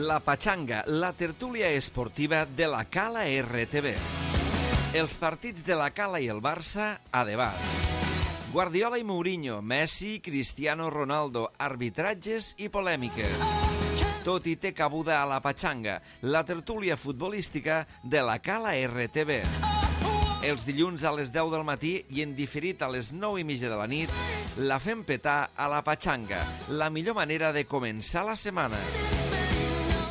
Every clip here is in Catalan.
La Pachanga, la tertúlia esportiva de la Cala RTV. Els partits de la Cala i el Barça a debat. Guardiola i Mourinho, Messi, Cristiano Ronaldo, arbitratges i polèmiques. Tot hi té cabuda a la Pachanga, la tertúlia futbolística de la Cala RTV. Els dilluns a les 10 del matí i en diferit a les 9:30 de la nit, la fem petar a la Pachanga, la millor manera de començar la setmana.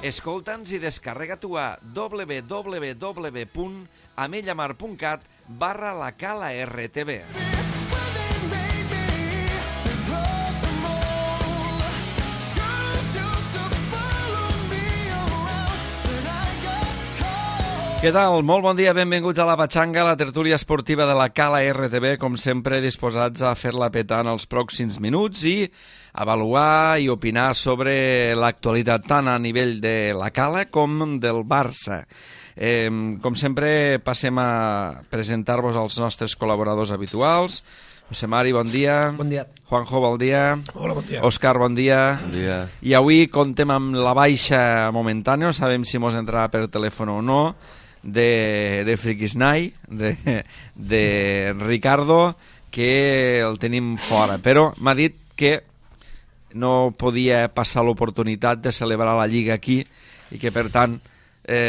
Escolta'ns i descarrega-t'ho a www.amellamar.cat/la Cala RTV. Què tal? Molt bon dia, benvinguts a la Pachanga, la tertúlia esportiva de la Cala RTV, com sempre disposats a fer-la petar en els pròxims minuts i avaluar i opinar sobre l'actualitat tant a nivell de la Cala com del Barça. Com sempre, passem a presentar-vos als nostres col·laboradors habituals. José Mari, bon dia. Bon dia. Juanjo, bon dia. Hola, bon dia. Òscar, bon dia. Bon dia. I avui contem amb la baixa momentània, no sabem si mos entrarà per telèfon o no, de Friquisnai, de Ricardo, que el tenim fora. Però m'ha dit que no podia passar l'oportunitat de celebrar la Lliga aquí i que, per tant,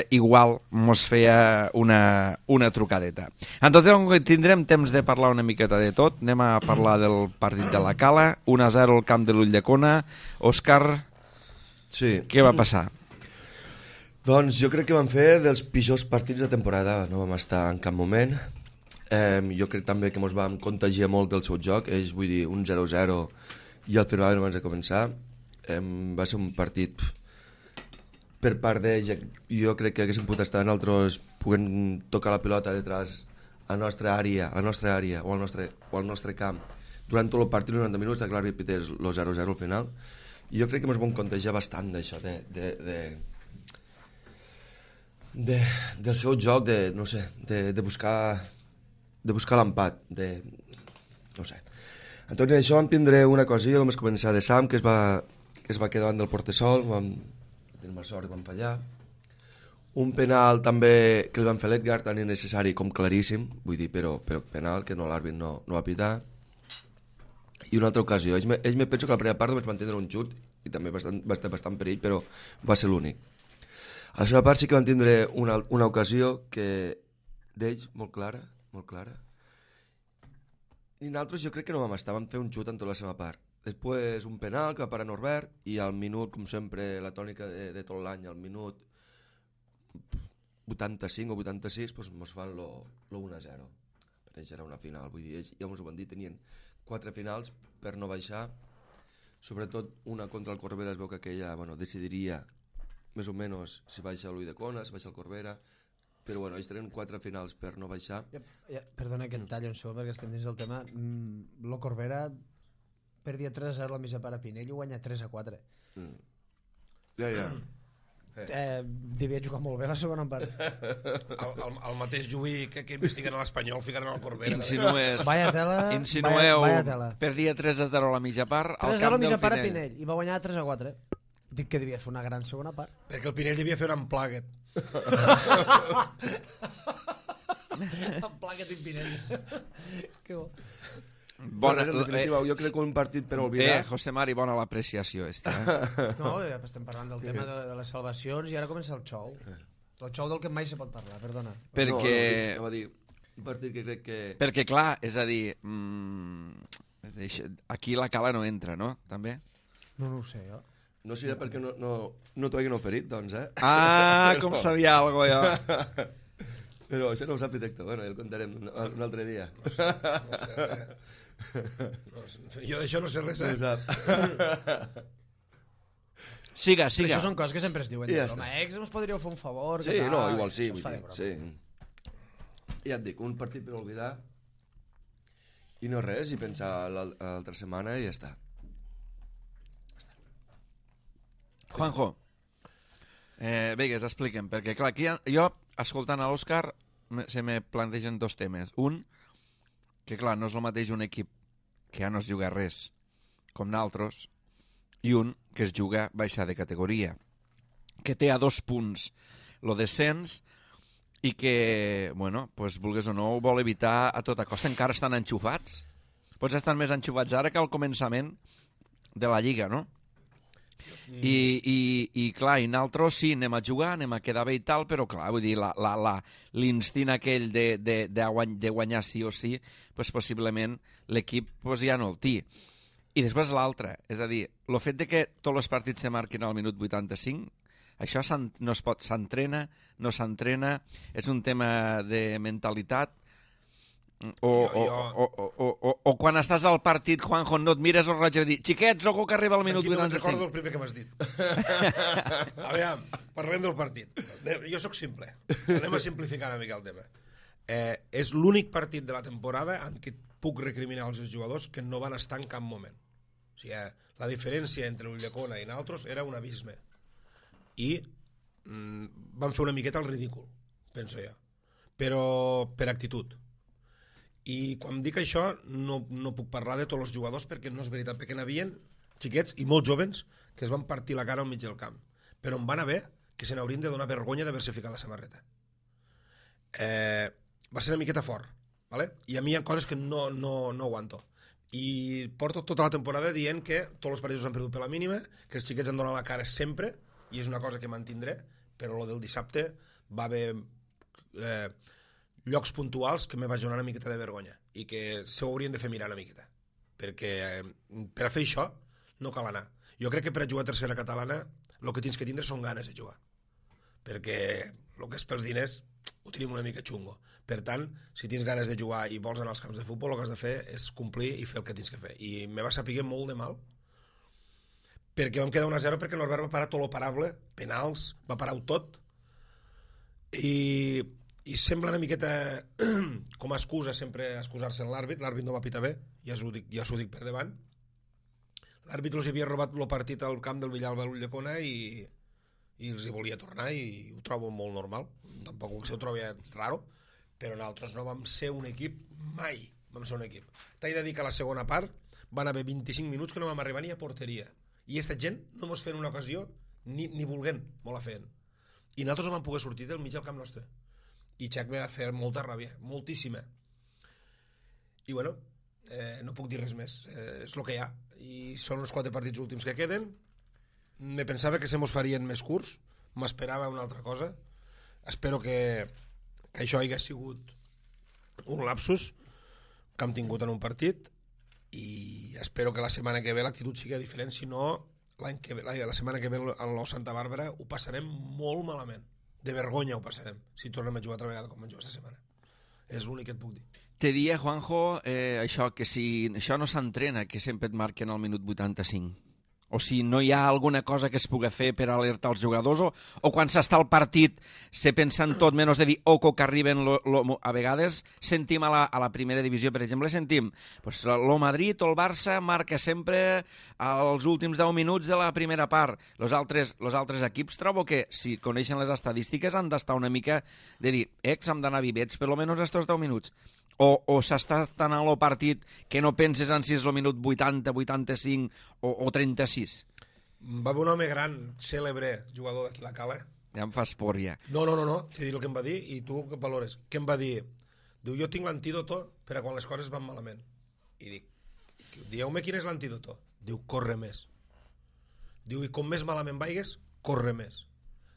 igual mos feia una trucadeta. En tot cas, tindrem temps de parlar una miqueta de tot. Anem a parlar del partit de la Cala, 1-0 al camp de l'Ulldecona. Òscar, sí. Què va passar? Doncs jo crec que vam fer dels pitjors partits de temporada, no vam estar en cap moment. Jo crec també que ens vam contagiar molt del seu joc, ells, vull dir, un 0-0 i al final abans de començar. Va ser un partit per part d'ells, jo crec que haguéssim pogut estar nosaltres podent tocar la pilota detrás a la nostra àrea o al nostre camp durant tot el partit, 90 minuts, de clar repités el 0-0 al final. I jo crec que ens vam contagiar bastant d'això, del seu joc, de buscar l'empat, no sé. En tot això vam tindre una cosilla, vam començar de Sam, que es va quedar davant del portesol, vam tenir mala sort i vam fallar. Un penal també que el van fer l'Edgar, tan innecessari com claríssim, vull dir, però penal, que l'àrbit no va pitar. I una altra ocasió, ells me penso que a la primera part només van tindre un xut i també va estar bastant perill, però va ser l'únic. A la segona part sí que van tindre una ocasió que d'ells molt clara, i nosaltres jo crec que no vam estar, vam fer un xut en tota la segona part. Després un penal que va parar Norbert i al minut, com sempre, la tònica de tot l'any, al minut 85 o 86 doncs ens fan l'1-0. Per ells era una final, vull dir, ells ja ens ho van dir, tenien 4 finals per no baixar, sobretot una contra el Corbera, es veu que aquella decidiria més o menys si baixa l'Ulldecona, si baixa el Corbera, però ells tenen 4 finals per no baixar. Perdona que et talli un segon perquè estem dins del tema. Lo Corbera perdia 3-0 la mitja part a Pinell i guanya 3-4. Ja. Devia jugar molt bé la segona part. El mateix Lluí que investiguen a l'Espanyol ficant en el Corbera. Insinueu perdia 3-0 a la mitja part al 3-0 camp a la mitja del part a Pinell. Pinell i va guanyar 3-4. Dic que devia fer una gran segona part. Perquè el Pinell devia fer un unplugged. Unplugged in Pinell. Que bo. En definitiva, jo crec que un partit per oblidar. José Mari, bona l'apreciació. No, estem parlant del tema de les salvacions i ara comença el xou. El xou del que mai se pot parlar, perdona. Perquè... No, dir, un partit que crec que... Perquè, clar, és a dir... aquí la Cala no entra, no? També? No ho sé, jo. No serà perquè no t'ho hagin oferit, doncs, Com sabia algo, jo. Però això no ho sap directe, ja el contarem un altre dia. Jo d'això no sé res, No ho sap. Siga. Però això són coses que sempre es diuen. Ja Com a ex ens podríeu fer un favor. Sí, no, igual sí, vull dir, sí. Ja et dic, un partit per oblidar i no res, i pensar l'altra setmana i ja està. Juanjo, vegues, expliquem, perquè clar, aquí jo, escoltant a l'Òscar, se me plantegen dos temes. Un, que clar, no és el mateix un equip que ja no es juga res, com naltros, i un que es juga baixar de categoria. que té a 2 punts el descens i que, bueno, pues, vulguis o no, ho vol evitar a tota costa. Encara estan enxufats. Pots estar més enxufats ara que al començament de la Lliga, no? I clar, i nosaltres sí, anem a jugar, anem a quedar bé i tal, però clar, vull dir, l'instint aquell de guanyar sí o sí, pues, possiblement l'equip pues, ja no el té. I després l'altre, és a dir, el fet de que tots els partits se marquin al minut 85, això no es pot, s'entrena, no s'entrena, és un tema de mentalitat, o quan estàs al partit, Juanjo, no et mires el rellotge i dir, xiquets, ojo que arriba al minut 85. No recordo el primer que m'has dit. Aviam, parlem del partit. Jo sóc simple. Anem a simplificar una mica el tema. És l'únic partit de la temporada en què puc recriminar als jugadors que no van estar en cap moment. O sigui, la diferència entre Ulldecona i nosaltres era un abisme. I van fer una miqueta el ridícul, penso jo. Però per actitud. I quan dic això no puc parlar de tots els jugadors perquè no és veritat, perquè n'havien xiquets i molt jovens que es van partir la cara al mig del camp, però em van haver que se n'haurien de donar vergonya d'haver-se ficat la samarreta. Va ser una miqueta fort, ¿vale? I a mi hi ha coses que no aguanto, i porto tota la temporada dient que tots els partits s'han perdut per la mínima, que els xiquets han donat la cara sempre, i és una cosa que mantindré, però lo del dissabte va haver llocs puntuals que me va donar una miqueta de vergonya i que s'ho haurien de fer mirar una miqueta, perquè per a fer això no cal anar. Jo crec que per a jugar a tercera catalana el que tens que tindre són ganes de jugar, perquè el que és pels diners ho tenim una mica xungo. Per tant, si tens ganes de jugar i vols anar als camps de futbol, el que has de fer és complir i fer el que tens que fer. I me va saber molt de mal perquè vam quedar 1-0 perquè Norbert va parar tot lo parable, penals, va parar-ho tot, i sembla una miqueta com a excusa sempre excusar-se en l'àrbit no va pitar bé, ja s'ho dic per davant. L'àrbit els havia robat el partit al camp del Villalba a l'Ulldecona i els hi volia tornar, i ho trobo molt normal, tampoc que s'ho trobi raro, però nosaltres no vam ser un equip, mai vam ser un equip. T'he de dir que a la segona part van haver 25 minuts que no vam arribar ni a porteria, i aquesta gent no mos feien una ocasió ni volguent, molt la feien, i nosaltres no vam poder sortir del mig del camp nostre. I Xac va fer molta ràbia, moltíssima. I bueno, no puc dir res més, és el que hi ha, i són els 4 partits últims que queden. Me pensava que se mos farien més curts, m'esperava una altra cosa. Espero que això hagi sigut un lapsus que hem tingut en un partit, i espero que la setmana que ve l'actitud sigui diferent, si no la setmana que ve al Nou Santa Bàrbara ho passarem molt malament. De vergonya ho passarem si tornem a jugar altra vegada com vam jugar aquesta setmana. És l'únic que et puc dir. Te dia, Juanjo, això, que si això no s'entrena, que sempre et marquen al minut 85, o si no hi ha alguna cosa que es pugui fer per alertar els jugadors, o quan s'està al partit se pensa en tot menys de dir oco que arriben a vegades sentim a la primera divisió, per exemple, sentim pues, el Madrid o el Barça marca sempre als últims 10 minuts de la primera part. Els altres equips trobo que, si coneixen les estadístiques, han d'estar una mica de dir, hem d'anar vivets per almenys estos 10 minuts. O s'està tan al partit que no penses en si és el minut 80, 85 o 36. Va haver un home gran, cèlebre, jugador d'aquí la Cala. Ja em fas por, ja. No, t'he dit el que em va dir i tu què valores. Què em va dir? Diu, jo tinc l'antídoto per a quan les coses van malament. I dic, dieu-me quin és l'antídoto? Diu, corre més. Diu, i com més malament vaigues, corre més.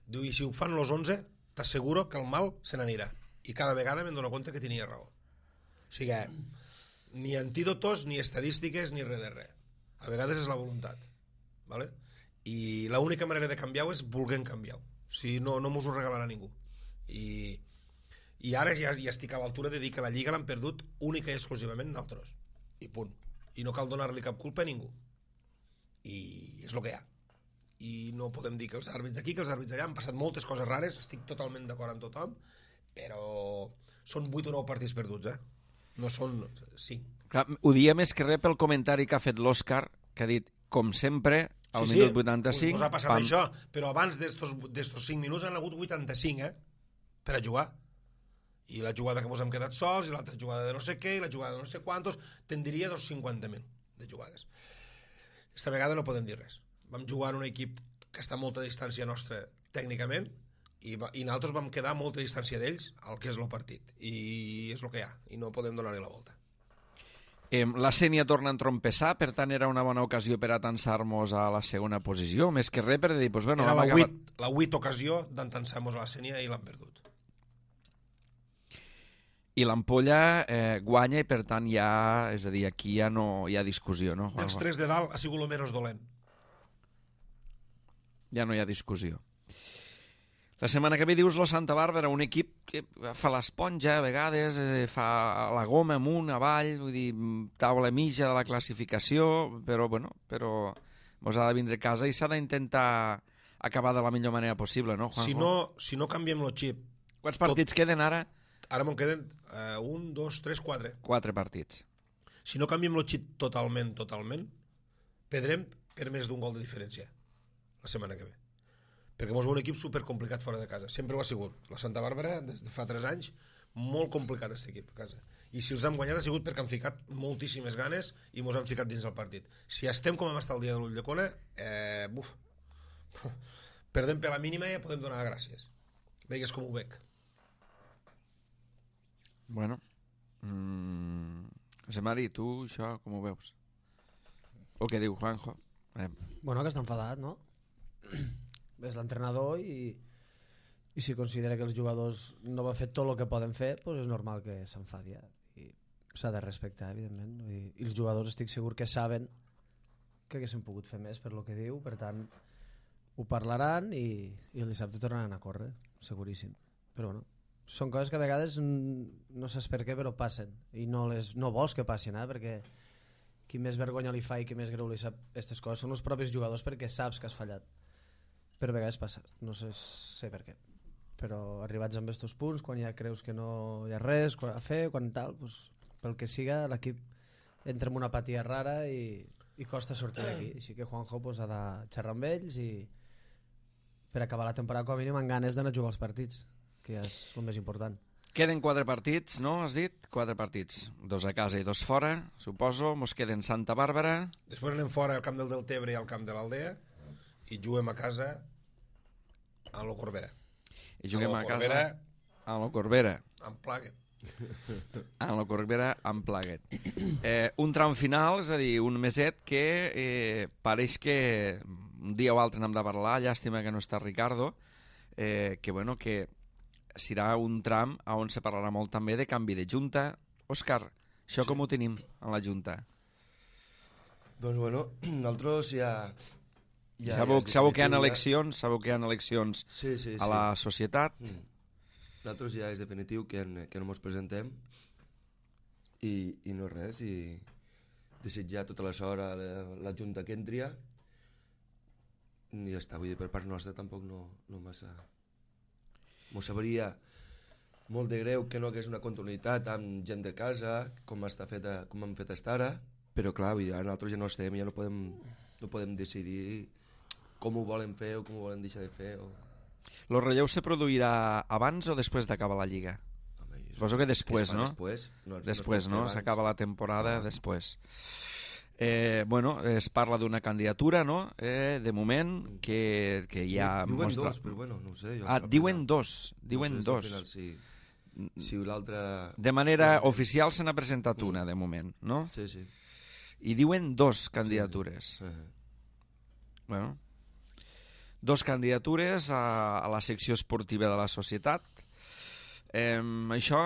Diu, i si ho fan los 11, t'asseguro que el mal se n'anirà. I cada vegada me'n dono compte que tenia raó. O sigui, ni antídotos, ni estadístiques, ni res de res. A vegades és la voluntat, ¿vale? I l'única manera de canviar-ho és volent canviar-ho. O sigui, no mos ho regalarà ningú. I ara ja estic a l'altura de dir que la Lliga l'han perdut única i exclusivament nosaltres. I punt. I no cal donar-li cap culpa a ningú. I és el que hi ha. I no podem dir que els àrbits d'aquí, que els àrbits d'allà, han passat moltes coses rares, estic totalment d'acord amb tothom, però són 8 o 9 partits perduts, no són 5. Clar, ho dia més que res pel comentari que ha fet l'Òscar, que ha dit, com sempre, al minut 85... Us ha passat això, però abans d'estos 5 minuts han hagut 85, per a jugar. I la jugada que ens hem quedat sols, i l'altra jugada de no sé què, i la jugada de no sé quantos, tindria 50.000 de jugades. Esta vegada no podem dir res. Vam jugar en un equip que està a molta distància nostra tècnicament, i nosaltres vam quedar a molta distància d'ells al que és el partit, i és el que hi ha, i no podem donar-li la volta. La Sénia torna a entrompessar, per tant era una bona ocasió per atansar-nos a la segona posició, més que res per dir, pues, bueno, era la 8 ocasió d'entansar-nos a la Sénia i l'han perdut. I l'Ampolla guanya i per tant ja, és a dir, aquí ja no hi ha discussió, no? Dels 3 de dalt ha sigut el menys dolent. Ja no hi ha discussió. La setmana que ve dius lo Santa Bàrbara, un equip que fa l'esponja a vegades, fa la goma amunt, avall, vull dir, taula mitja de la classificació, però mos ha de vindre a casa i s'ha d'intentar acabar de la millor manera possible, no, Juanjo? Si no canviem el xip... Quants partits queden ara? Ara me'n queden 1, 2, 3, 4. 4 partits. Si no canviem el xip totalment, perdrem per més d'un gol de diferència la setmana que ve. Perquè mos ve un equip supercomplicat fora de casa. Sempre ho ha sigut. La Santa Bàrbara, des de fa 3 anys, molt complicat aquest equip a casa. I si els hem guanyat ha sigut perquè han ficat moltíssimes ganes i mos han ficat dins del partit. Si estem com hem estat el dia de l'Ulldecona, perdem per la mínima i ja podem donar gràcies. Veigues com ho veig. Bueno, José Mari, tu això com ho veus? O què diu Juanjo? Bueno, que està enfadat, no? És l'entrenador i si considera que els jugadors no van fer tot el que poden fer, doncs és normal que s'enfadi, i s'ha de respectar, evidentment, i els jugadors estic segur que saben que haguessin pogut fer més per lo que diu, per tant ho parlaran i el dissabte tornaran a córrer, seguríssim. Però bueno, són coses que a vegades no saps per què però passen i no vols que passin, perquè qui més vergonya li fa i qui més greu li sap aquestes coses són els propis jugadors, perquè saps que has fallat. Però a vegades passa, no sé per què, però arribats amb aquests punts, quan ja creus que no hi ha res a fer, quan tal, doncs, pel que siga l'equip entra en una apatia rara i costa sortir d'aquí, així que Juanjo pues, ha de xerrar amb ells i per acabar la temporada com a mínim amb ganes d'anar a jugar als partits, que ja és el més important. Queden 4 partits, no? Has dit? 4 partits. 2 a casa i 2 fora, suposo. Mos queden Santa Bàrbara. Després anem fora al camp del Deltebre i al camp de l'Aldea i juguem a casa a lo Corbera. I juguem a casa a lo Corbera. Amb Plaguet. A lo Corbera amb Plaguet. Un tram final, és a dir, un meset que pareix que un dia o altre n'hem de parlar, llàstima que no està Ricardo, que serà un tram on se parlarà molt també de canvi de junta. Òscar, això sí. Com ho tenim en la junta? Doncs bueno, nosaltres ja... Sabeu que hi ha eleccions, a la societat. Nosaltres ja és definitiu que no ens presentem i no res, i desitjar tota la sort a la junta que entria i ja està, vull dir, per part nostra tampoc no massa... M'ho sabria molt de greu que no hagués una continuïtat amb gent de casa, com han fet fins ara, però clar, vull dir, ara nosaltres ja no estem, ja no podem decidir com ho volen fer o com ho volen deixar de fer. El relleu se produirà abans o després d'acabar la Lliga? Suposo que després, no? Després, no? S'acaba la temporada després. Es parla d'una candidatura, no? De moment, que ja... Diuen dos, però bueno, no ho sé. Diuen dos. Si l'altre... De manera oficial se n'ha presentat una, de moment, no? Sí. I diuen 2 candidatures. Bueno, 2 candidatures a la secció esportiva de la societat. Això,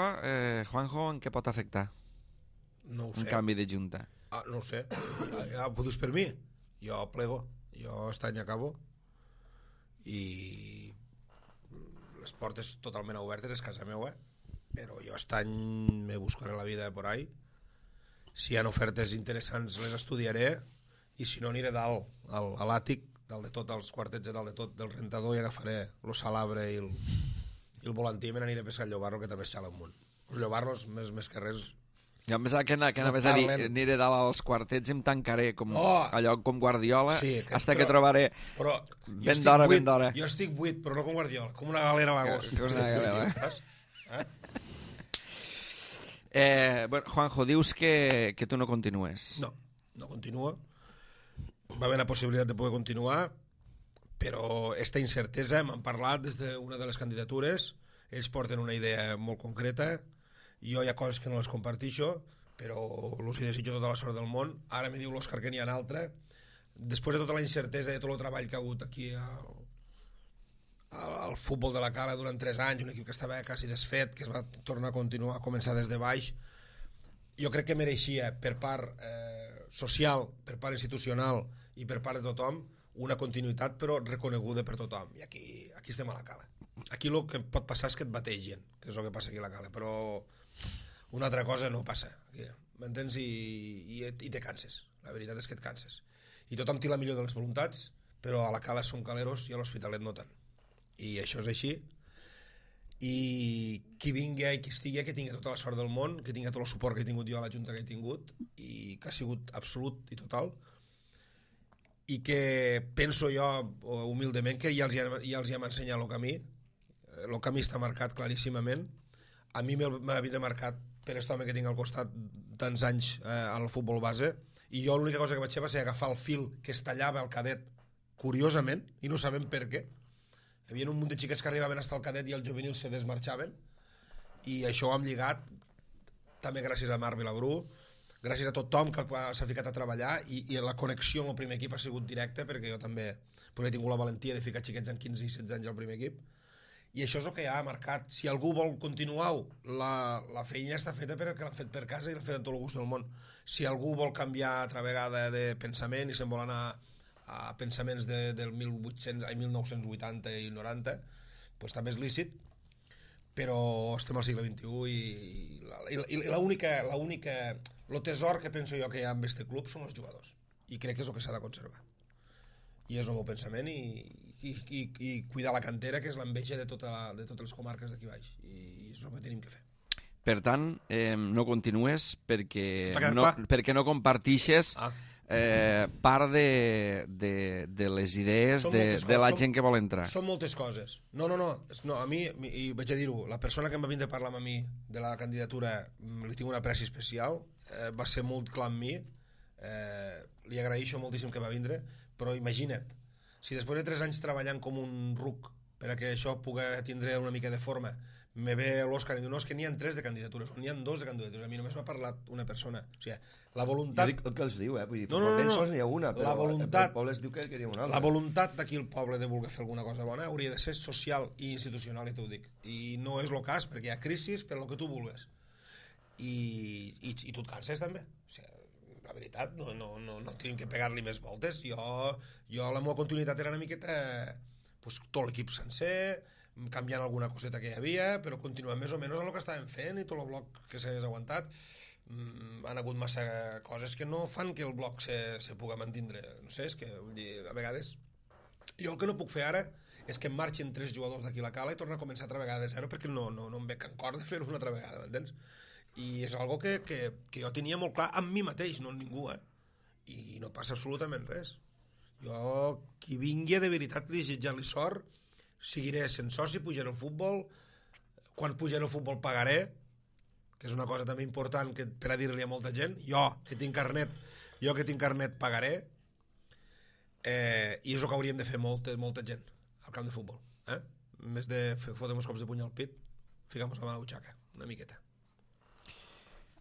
Juanjo, en què pot afectar? No ho sé. Un canvi de junta. No ho sé. Ja ho dius per mi. Jo plego. Jo aquest any acabo. I les portes totalment obertes, és casa meva. Però jo aquest any me buscaré la vida por ahí. Si hi ha ofertes interessants les estudiaré. I si no aniré dalt, a l'àtic, dalt de tot, als quartets de dalt de tot, del rentador, i agafaré el salabre i el volantí, i me n'aniré a pescar el llobarro, que també es xala un munt. Els llobarros, més que res... Jo em pensava que anaves a dir aniré dalt als quartets i em tancaré allò com Guardiola, hasta que trobaré ben d'hora. Jo estic buit, però no com Guardiola, com una galera a Lagos. Juanjo, dius que tu no continues. No continuo. Va haver la possibilitat de poder continuar, però esta incertesa, m'han parlat des d'una de les candidatures, ells porten una idea molt concreta, jo hi ha coses que no les compartixo, però els desitjo tota la sort del món. Ara me diu l'Òscar que n'hi ha una altra. Després de tota la incertesa i de tot el treball que ha hagut aquí al futbol de la Cala durant 3 anys, un equip que estava quasi desfet, que es va tornar a començar des de baix, jo crec que mereixia per part social, per part institucional i per part de tothom una continuïtat però reconeguda per tothom, i aquí estem a la Cala. Aquí el que pot passar és que et bategen, que és el que passa aquí a la Cala, però una altra cosa no passa aquí, m'entens? I te canses, la veritat és que et canses, i tothom té la millor de les voluntats, però a la Cala som caleros i a l'Hospitalet no tant, i això és així. I qui vingui i qui estigui, que tingui tota la sort del món, que tingui tot el suport que he tingut jo a la Junta que he tingut, i que ha sigut absolut i total, i que penso jo humilment que ja els hem ensenyat el camí està marcat claríssimament. A mi m'ha vindre marcat per aquest home que tinc al costat tants anys al futbol base, i jo l'única cosa que vaig fer va ser agafar el fil que es tallava al cadet curiosament, i no sabem per què. Hi havia un munt de xiquets que arribaven fins al cadet i el juvenil se desmarxaven, i això ho hem lligat també gràcies a Marc Vilabrú, gràcies a tothom que s'ha ficat a treballar, i la connexió amb el primer equip ha sigut directa, perquè jo també he tingut la valentia de ficar xiquets en 15 i 16 anys al primer equip, i això és el que ja ha marcat. Si algú vol continuar-ho, la feina està feta perquè l'han fet per casa i l'han fet amb tot el gust del món. Si algú vol canviar altra vegada de pensament i se'n vol anar a pensaments del 1980 i 90, doncs també és lícit, però estem al segle XXI i el tesor que penso jo que hi ha en aquest club són els jugadors, i crec que és el que s'ha de conservar, i és el meu pensament, i cuidar la cantera, que és l'enveja de totes les comarques d'aquí baix, i és el que tenim que fer. Per tant, no continues perquè no compartixes part de les idees de la gent que vol entrar. Són moltes coses. No, a mi, i vaig a dir-ho, la persona que em va vindre a parlar amb mi de la candidatura, li tinc una apreci especial, va ser molt clar amb mi, li agraeixo moltíssim que va vindre, però imagina't, si després de 3 anys treballant com un ruc per a que això pugui tindre una mica de forma, me ve l'Òscar i diu, no, és que n'hi ha 3 de candidatures, o n'hi ha 2 de candidatures, a mi només m'ha parlat una persona. O sigui, la voluntat... Jo dic el que els diu, vull dir, ben sols n'hi ha una, però el poble es diu que n'hi ha una altra. La voluntat d'aquí el poble de voler fer alguna cosa bona hauria de ser social i institucional, i t'ho dic. I no és el cas, perquè hi ha crisis per el que tu vulguis. I tu et canses també. O sigui, la veritat, no tenim que pegar-li més voltes. Jo la meva continuïtat era una miqueta tot l'equip sencer, canviant alguna coseta que hi havia, però continuem més o menys en el que estàvem fent, i tot el bloc que s'hagués aguantat. Han hagut massa coses que no fan que el bloc se pugui mantindre. No sé, és que a vegades jo el que no puc fer ara és que em marxin 3 jugadors d'aquí a la Cala i tornar a començar altra vegada de zero, perquè no em veig en cor de fer-ho una altra vegada, m'entens? I és algo que jo tenia molt clar amb mi mateix, no amb ningú, i no passa absolutament res. Jo, qui vingui de veritat desitjar-li sort, seguiré sent soci, pujaré al futbol, quan pujaré al futbol pagaré, que és una cosa també important per a dir-li a molta gent, jo que tinc carnet pagaré, i és el que hauríem de fer molta gent al camp de futbol, en més de fotre uns cops de puny al pit, ficar-nos la mà a la butxaca una miqueta.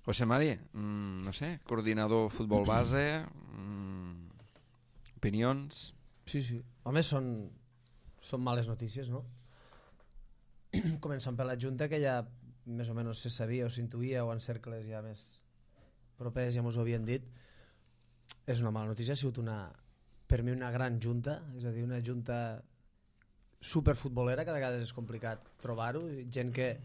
José Mari, no sé, coordinador futbol base, opinions? Sí. Home, són males notícies, no? Començant per la Junta, que ja més o menys se sabia o s'intuïa, o en cercles ja més propers ja ens ho havien dit. És una mala notícia, ha sigut per mi una gran Junta, és a dir, una Junta superfutbolera, que a vegades és complicat trobar-ho, gent que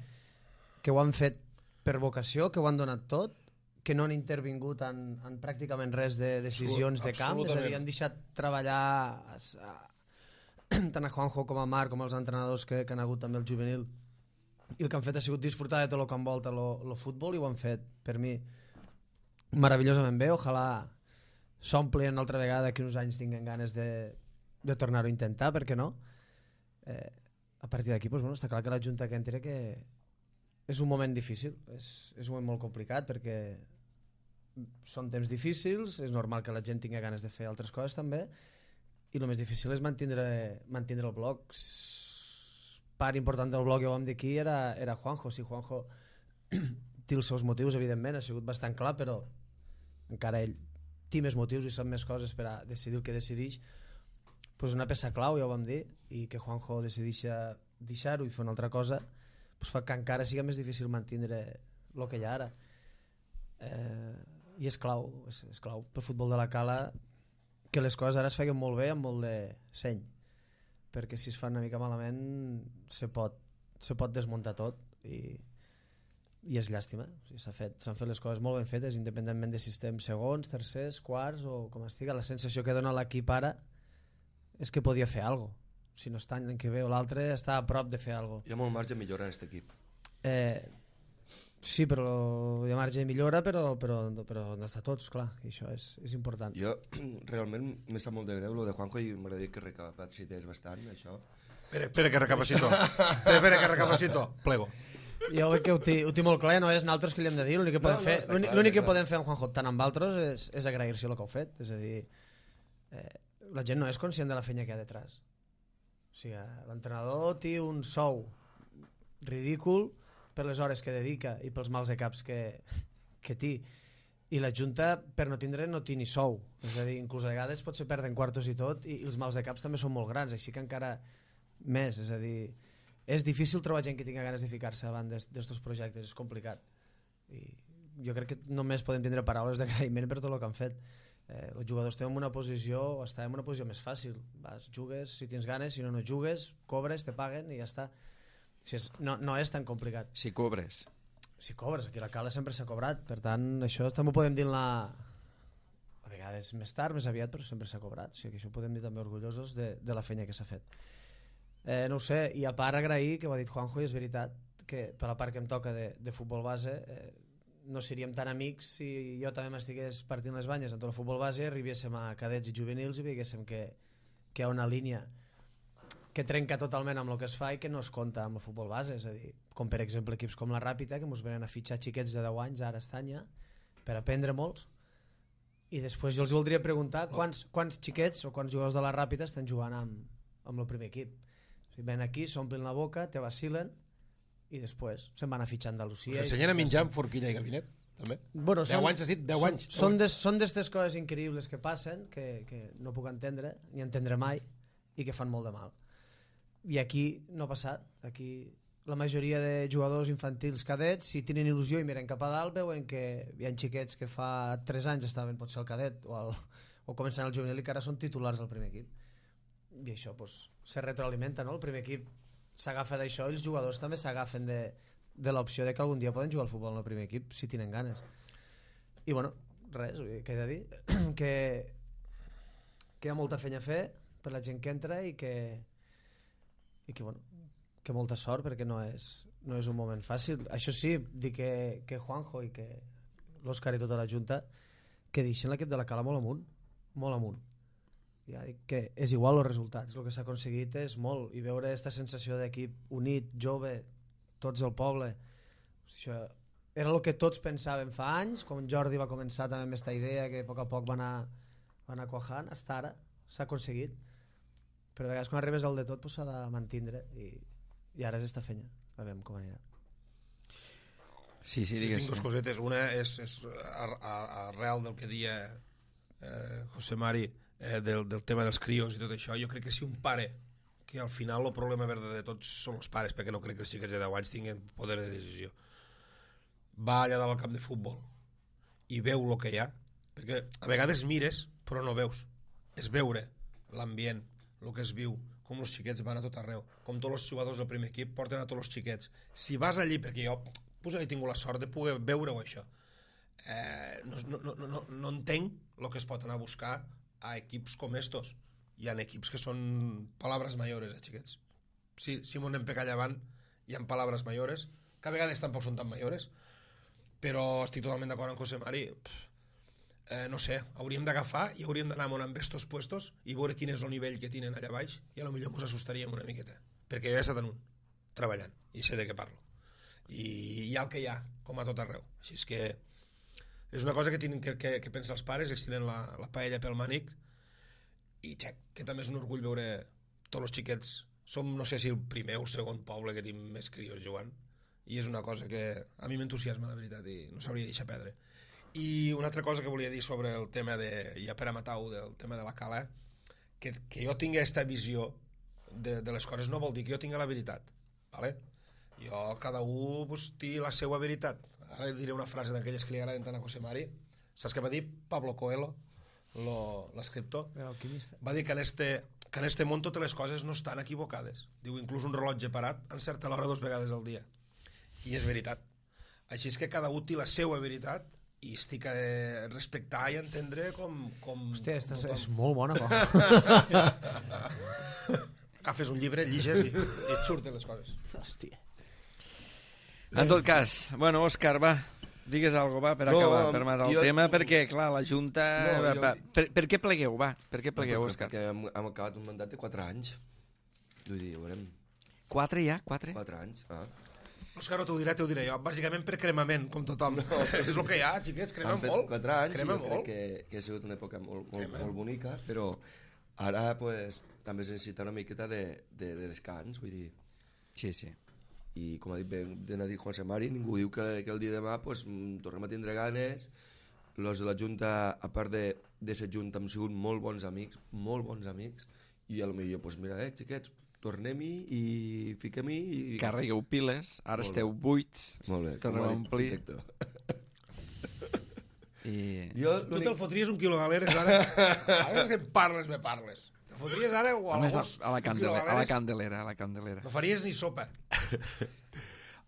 ho han fet per vocació, que ho han donat tot, que no han intervingut en pràcticament res de decisions de camp, és a dir, han deixat treballar tant a Juanjo com a Marc, com els entrenadors que han hagut també el juvenil, i el que han fet ha sigut disfrutar de tot el que envolta el futbol, i ho han fet, per mi, meravellosament bé. Ojalà s'omplin altra vegada, que uns anys tinguen ganes de tornar-ho a intentar, per què no? A partir d'aquí, està clar que la Junta que entera que és un moment difícil, és un moment molt complicat, perquè són temps difícils, és normal que la gent tingui ganes de fer altres coses també, i el més difícil és mantenir el bloc. Part important del bloc, ja ho vam dir aquí, era Juanjo. Si Juanjo té els seus motius, evidentment, ha sigut bastant clar, però encara ell té més motius i sap més coses per a decidir el que decideix. Pues una peça clau, ja ho vam dir, i que Juanjo decideix deixar-ho i fer una altra cosa, pues fa que encara sigui més difícil mantenir el que hi ha ara. I és clau pel futbol de la Cala que les coses ara es feien molt bé amb molt de seny, perquè si es fa una mica malament se pot desmuntar tot i és llàstima. O sigui, s'han fet les coses molt ben fetes, independentment de si estem segons, tercers, quarts o com estiga. La sensació que dona l'equip ara és que podia fer alguna cosa. Si no està l'any que ve o l'altre, està a prop de fer alguna cosa. Hi ha molt marge de millora en aquest equip. Sí, però hi ha marge de millora, però no està tots, clar, i això és important. Jo realment me sap molt de greu lo de Juanjo i m'agradaria que recapacités bastant, això. Espera que recapacito. Espera que recapacito. Plego. Jo veig que ho té molt clar, no és nosaltres que li hem de dir, l'únic que podem fer, l'únic que podem fer amb Juanjo tant amb altres és agrair-se el que heu fet, és a dir, la gent no és conscient de la feina que hi ha detrás. O sigui, l'entrenador té un sou ridícul per les hores que dedica i pels mals de caps que té, i la Junta per no tindre no té ni sou, és a dir, inclús a vegades potser perden quartos i tot, i els mals de caps també són molt grans, així que encara més, és a dir, és difícil trobar gent que tingui ganes de ficar-se davant d'estos projectes, és complicat, i jo crec que només podem tindre paraules d'agraïment per tot el que han fet. Els jugadors estem en una posició més fàcil, vas, jugues si tens ganes, si no jugues, cobres, te paguen i ja està. No és tan complicat. Si cobres, aquí la Cala sempre s'ha cobrat, per tant això també ho podem dir a vegades més tard, més aviat, però sempre s'ha cobrat, o sigui que això ho podem dir també orgullosos de la feina que s'ha fet. No ho sé, i a part agrair, que ho ha dit Juanjo, i és veritat que per la part que em toca de futbol base no seríem tan amics si jo també m'estigués partint les banyes en tot el futbol base, arribéssim a cadets i juvenils i veiéssim que hi ha una línia que trenca totalment amb el que es fa i que no es compta amb el futbol base, és a dir, com per exemple equips com la Ràpita, que ens venen a fitxar xiquets de 10 anys ara a Estanya per aprendre molts, i després jo els voldria preguntar quants xiquets o quants jugadors de la Ràpita estan jugant amb el primer equip. O sigui, ven aquí, s'omplen la boca, te vacilen i després se'n van a fitxar a Andalusia. Us ensenyen a menjar amb forquilla i gabinet, també? Bueno, 10 anys, has dit 10 anys. Són d'estes coses increïbles que passen, que no puc entendre, ni entendre mai, i que fan molt de mal. I aquí no ha passat. Aquí la majoria de jugadors infantils cadets, si tenen il·lusió i miren cap a dalt, veuen que hi ha xiquets que fa 3 anys estaven potser al cadet o començant al juvenil i que ara són titulars del primer equip. I això se retroalimenta, no? El primer equip s'agafa d'això i els jugadors també s'agafen de l'opció de que algun dia poden jugar al futbol en el primer equip si tenen ganes. I bueno, res, què he de dir? que hi ha molta feina a fer per la gent que entra i que molta sort, perquè no és un moment fàcil. Això sí, dir que Juanjo i que l'Òscar i tota la Junta que deixen l'equip de la Cala molt amunt. Ja dic que és igual els resultats, el que s'ha aconseguit és molt, i veure aquesta sensació d'equip unit, jove, tots el poble, això era el que tots pensàvem fa anys, com Jordi va començar també amb aquesta idea que a poc va anar quajant, hasta ara s'ha aconseguit, però a vegades quan arribes al de tot s'ha de mantindre i ara és esta feina, a veure com anirà. Sí, digues. Tinc dues cosetes, una és arrel del que dia José Mari del tema dels crios i tot això. Jo crec que si un pare, que al final el problema verd de tots són els pares, perquè no crec que els xiquets de 10 anys tinguin poder de decisió, va allà dalt al camp de futbol i veu el que hi ha, perquè a vegades mires però no veus, és veure l'ambient, el que es viu, com els xiquets van a tot arreu, com tots els jugadors del primer equip porten a tots els xiquets. Si vas allí, perquè jo he tingut la sort de poder veure-ho això, no entenc el que es pot anar a buscar a equips com estos. Hi ha equips que són palabras mayores, xiquets. Si m'ho anem per allà avant, hi ha palabras mayores, que a vegades tampoc són tan mayores, però estic totalment d'acord amb José Mari. No sé, hauríem d'agafar i hauríem d'anar amb estos puestos i veure quin és el nivell que tenen allà baix i potser ens assustaríem una miqueta, perquè jo he estat en un, treballant, i sé de què parlo. I hi ha el que hi ha, com a tot arreu. Així és que és una cosa que tenen que pensar els pares, que es tenen la paella pel mànic i xec, que també és un orgull veure tots els xiquets. Som, no sé si el primer o el segon poble que tinc més crios jugant, i és una cosa que a mi m'entusiasma, la veritat, i no s'hauria de deixar perdre. I una altra cosa que volia dir sobre el tema de, ja per a matar-ho, del tema de la cala, que jo tingui aquesta visió de les coses no vol dir que jo tingui la veritat, ¿vale? Jo, cada un pues, té la seva veritat. Ara diré una frase d'aquelles que li agraden tant a José Mari. Saps què va dir Pablo Coelho, l'escriptor? Va dir que en este món totes les coses no estan equivocades. Diu, inclús un rellotge parat encerta l'hora 2 vegades al dia. I és veritat. Així és que cada un té la seva veritat i estic a respectar i entendre com hòstia, és molt bona cosa. Agafes un llibre, lliges i et surten les coses. Hòstia. En tot cas, bueno, Òscar, va, digues alguna cosa, va, per acabar, per matar el tema, perquè, clar, la Junta... Per què plegueu, va? Per què plegueu, Òscar? Perquè hem acabat un mandat de 4 anys. Vull dir, veurem... 4 ja? 4? 4 anys, Òscar, no t'ho diré jo. Bàsicament per cremament, com tothom. És el que hi ha, xiquets, cremem molt. Han fet 4 anys, cremem jo crec que ha sigut una època molt bonica, però ara pues, també es necessita una miqueta de descans, vull dir... Sí. I com ha dit ben ha dit José Mari, ningú diu que el dia de demà pues, tornem a tindre ganes. Els de la Junta, a part de ser Junta, hem sigut molt bons amics, i a lo millor, pues, mira, xiquets, tornem-hi i fiquem-hi i... Carregueu piles, ara esteu buits, tornem a omplir. Tu te'l fotries un quilo galeres ara? Ara és que me parles. Te fotries ara o a l'agost? A la candelera. No faries ni sopa.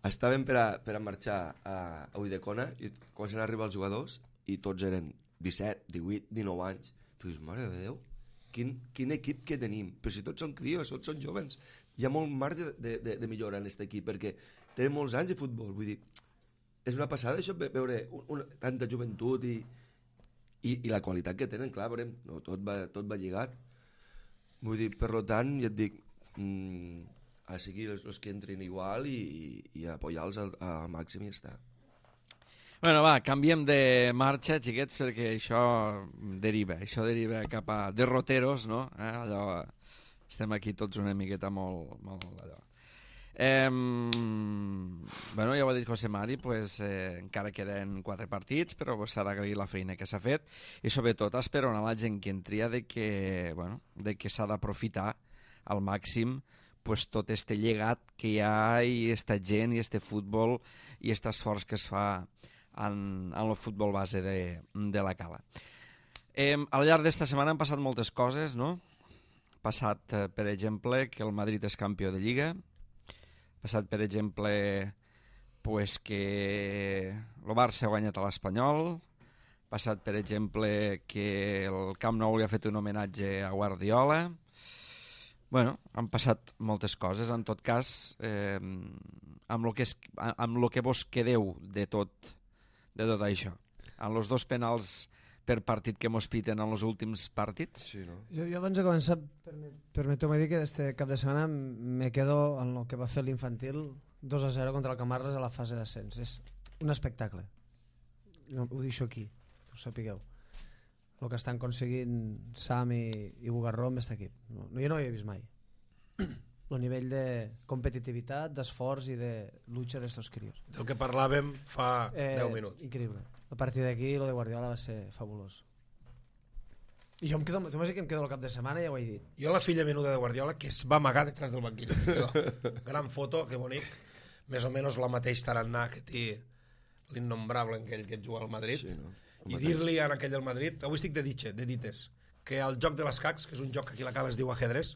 Estàvem per a marxar a Ulldecona i comencen a arribar els jugadors i tots eren 17, 18, 19 anys. Tu dius, mare de Déu, quin equip que tenim, però si tots són crios, tots són jovens, hi ha molt marge de millora en aquest equip perquè tenen molts anys de futbol, vull dir, és una passada això, veure tanta joventut i la qualitat que tenen, clar, veurem, no, tot va lligat, vull dir, per tant, ja et dic, a seguir els que entrin igual i apoyar-los al màxim i ja està. Bueno, va, canviem de marxa, xiquets, perquè això deriva cap a derroteros, no? Allò, estem aquí tots una miqueta molt allò. Bueno, ja ho ha dit José Mari, pues, encara queden 4 partits, però s'ha d'agrair la feina que s'ha fet i sobretot esperonar la gent que entria de que s'ha d'aprofitar al màxim pues, tot este llegat que hi ha i esta gent i este futbol i este esforç que es fa en el futbol base de la Cala. Al llarg d'esta setmana han passat moltes coses, no? Ha passat, per exemple, que el Madrid és campió de Lliga, ha passat, per exemple, pues, que el Barça ha guanyat a l'Espanyol, ha passat, per exemple, que el Camp Nou li ha fet un homenatge a Guardiola. Bueno, han passat moltes coses. En tot cas, amb lo que vos quedeu de tot això. En els 2 penals per partit que mos piten en els últims partits. Sí, no? Jo abans de començar, permeteu-me dir que este cap de setmana me quedo en el que va fer l'infantil 2-0 contra el Camarles a la fase d'ascens. És un espectacle. Ho deixo aquí, que ho sapigueu. El que estan aconseguint Sam i Bugarró amb aquest equip. Jo no ho havia vist mai. El nivell de competitivitat, d'esforç i de lucha d'estos crios. Del que parlàvem fa 10 minuts. Increïble. A partir d'aquí, lo de Guardiola va ser fabulós. I jo tu m'has dit que em quedo el cap de setmana i ja ho he dit. Jo la filla menuda de Guardiola, que es va amagar detrás del banquillo. Gran foto, que bonic. Més o menys la mateix tarannà que té l'innombrable aquell que juga al Madrid. Sí, no? I dir-li a aquell del Madrid, avui estic de dites, que el joc de les cacs, que és un joc que aquí a la Cala es diu ajedrez,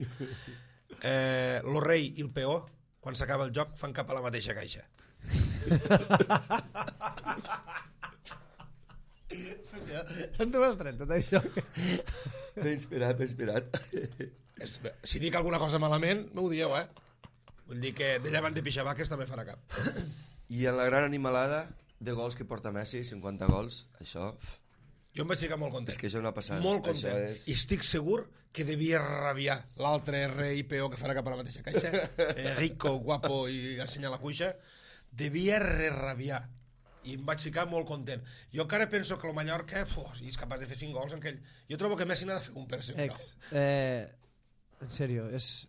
el rei i el peó, quan s'acaba el joc, fan cap a la mateixa caixa. On t'ho has tret, tot això? M'he inspirat. Si dic alguna cosa malament, m'ho dieu, Vull dir que d'allà van de pixabaques també farà cap. I en la gran animalada de gols que porta Messi, 50 gols, això... Jo em vaig ficar molt content. És que això no ha passat. Molt content. I estic segur que devia rabiar l'altre rei peó que farà cap a la mateixa caixa, rico, guapo i ensenyar la cuixa, devia rabiar. i em vaig ficar molt content. Jo encara penso que el Mallorca és capaç de fer 5 gols en aquell. Jo trobo que Messi n'ha de fer un per ser un Ex, en sèrio, és...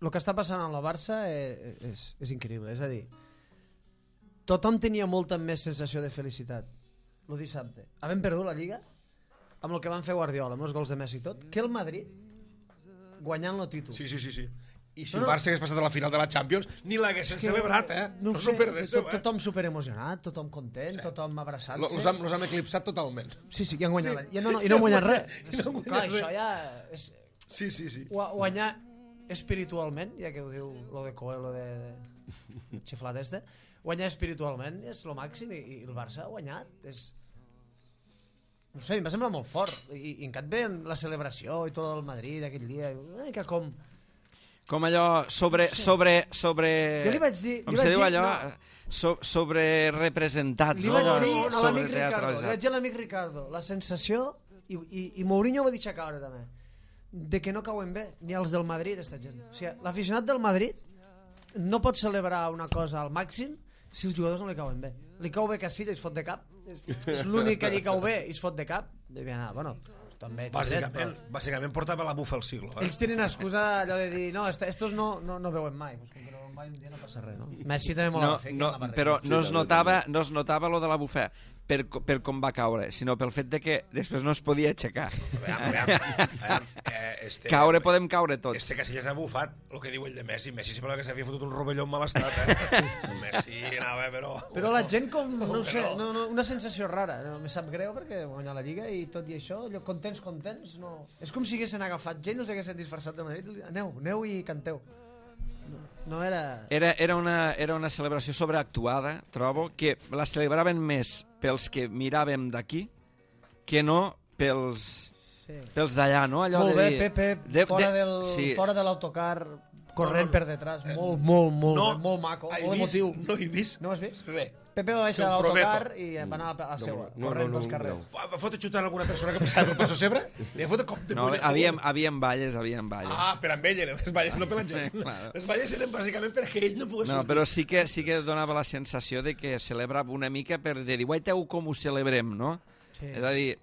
El que està passant amb la Barça és increïble, és a dir, tothom tenia molta més sensació de felicitat el dissabte, havent perdut la Lliga amb el que van fer Guardiola, amb els gols de Messi i tot, que el Madrid guanyant el títol. Sí. I si el Barça hagués passat a la final de la Champions, ni l'haguessin celebrat, No s'ho perdéssiu, tothom superemocionat, tothom content, tothom abraçant-se. Los han eclipsat totalment. Sí, i han guanyat. I no han guanyat res. Clar, això ja... Sí. Guanyar espiritualment, ja que ho diu lo de Coelho de xiflat guanyar espiritualment és lo màxim i el Barça ha guanyat. No sé, em va semblar molt fort. I encat ve la celebració i tot el Madrid aquell dia. Que com allò sobre jo li vaig dir... com se diu allò? Sobre representats. Li vaig dir a l'amic Ricardo, li vaig dir a l'amic Ricardo, la sensació, i Mourinho va deixar caure també, de que no cauen bé, ni els del Madrid, esta gent. O sigui, l'aficionat del Madrid no pot celebrar una cosa al màxim si els jugadors no li cauen bé. Li cau bé Casillas i es fot de cap. És l'únic que li cau bé i es fot de cap. Bueno, també... Bàsicament portava la bufa al siglo. Ells tenen excusa allò de dir no, estos no veuen mai. Pues com que no veuen mai un dia no passa res, no? Messi també molt però no es notava lo de la bufa per com va caure, sinó pel fet de que després no es podia aixecar. Caure podem caure tots. Este Casillas ha bufat el que diu ell de Messi. Messi sembla que s'havia fotut un rovelló en mal estat, Messi anava, però la gent com, no sé, una sensació rara. Me sap greu perquè guanyar la Lliga i tot i això, contents, no. És com si haguessin agafat gent i els haguessin disfressat de Madrid. Aneu i canteu. No era... Era una celebració sobreactuada, trobo, que la celebraven més pels que miràvem d'aquí que no pels d'allà, no? Allò molt de bé, dir, Pepe, fora de l'autocar, corrent per detrás, molt maco, molt emotiu. No he vist. No has vist? Res. Pepe va baixar a l'autocar i va anar a la seva, corrent pels carrers. Va fotre xutant alguna persona que passava pel Passo Cebre? Li ha fotre cop de puny. Havien balles. Ah, per amb ell eren les balles, no per la gent. Les balles eren bàsicament perquè ell no pogués sortir. No, però sí que donava la sensació de que celebrava una mica per dir, guaiteu com ho celebrem, no? És a dir,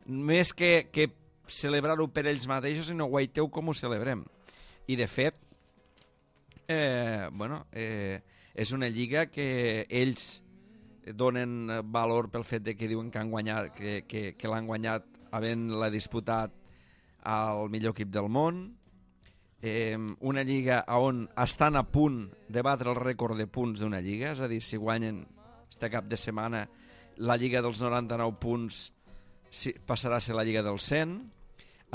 més que celebrar-ho per ells mateixos, sinó guaiteu com ho celebrem. I de fet, és una lliga que ells donen valor pel fet de que diuen que han guanyat, que l'han guanyat havent-la disputat al millor equip del món, una lliga on estan a punt de batre el rècord de punts d'una lliga, és a dir, si guanyen este cap de setmana la lliga dels 99 punts passarà a ser la lliga dels 100,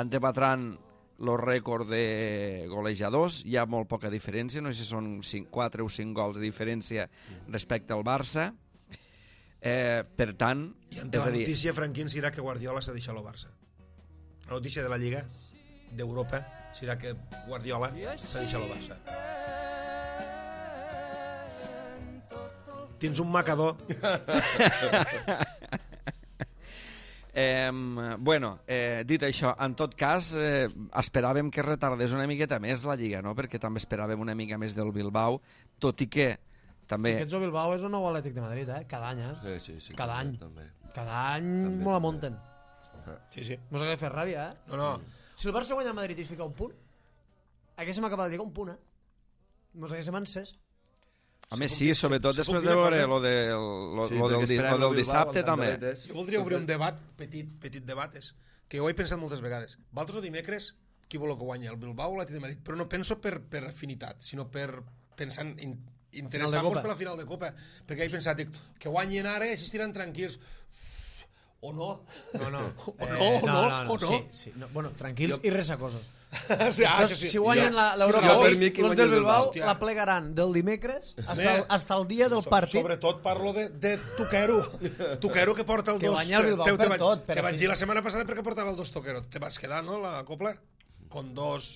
antebatran el rècord de golejadors, hi ha molt poca diferència, no sé si són 4 o 5 gols de diferència respecte al Barça. Per tant, i ante la notícia, Franquín, serà que Guardiola s'ha deixat el Barça. La notícia de la Lliga d'Europa serà que Guardiola s'ha deixat el Barça. Tens un macador. Dit això, en tot cas, esperàvem que retardés una miqueta més la Lliga, no? Perquè també esperàvem una mica més del Bilbao, tot i que també... Aquests del Bilbao és un nou Atlètic de Madrid, cada any, Sí, cada any. També. Cada any molt la munten. Sí. Mos ha de fer ràbia, No. Si el Barça guanya a Madrid i es fica un punt, haguéssim acabat de lligar un punt, Mos haguéssim encès. A més, sí, sobretot després de veure lo del dissabte, també. Jo voldria obrir un debat, petit debat, que jo ho he pensat moltes vegades. Valtros o dimecres, qui vol que guanyi? El Bilbao o l'Atlètic de Madrid? Però no penso per afinitat, sinó per pensar en interessar-nos per la final de Copa. Perquè he pensat, que guanyin ara i així estiran tranquils. O no. Sí. Bueno, tranquils i resacosos. Si guanyen l'Europa League, els del Bilbao la plegaran del dimecres hasta el dia del partit. Sobretot parlo de Tuquero. Tuquero que porta el 2. Que guanya el Bilbao per tot. Te vaig dir la setmana passada perquè portava el 2 Tuquero. Te vas quedar, no, la copla? Con 2...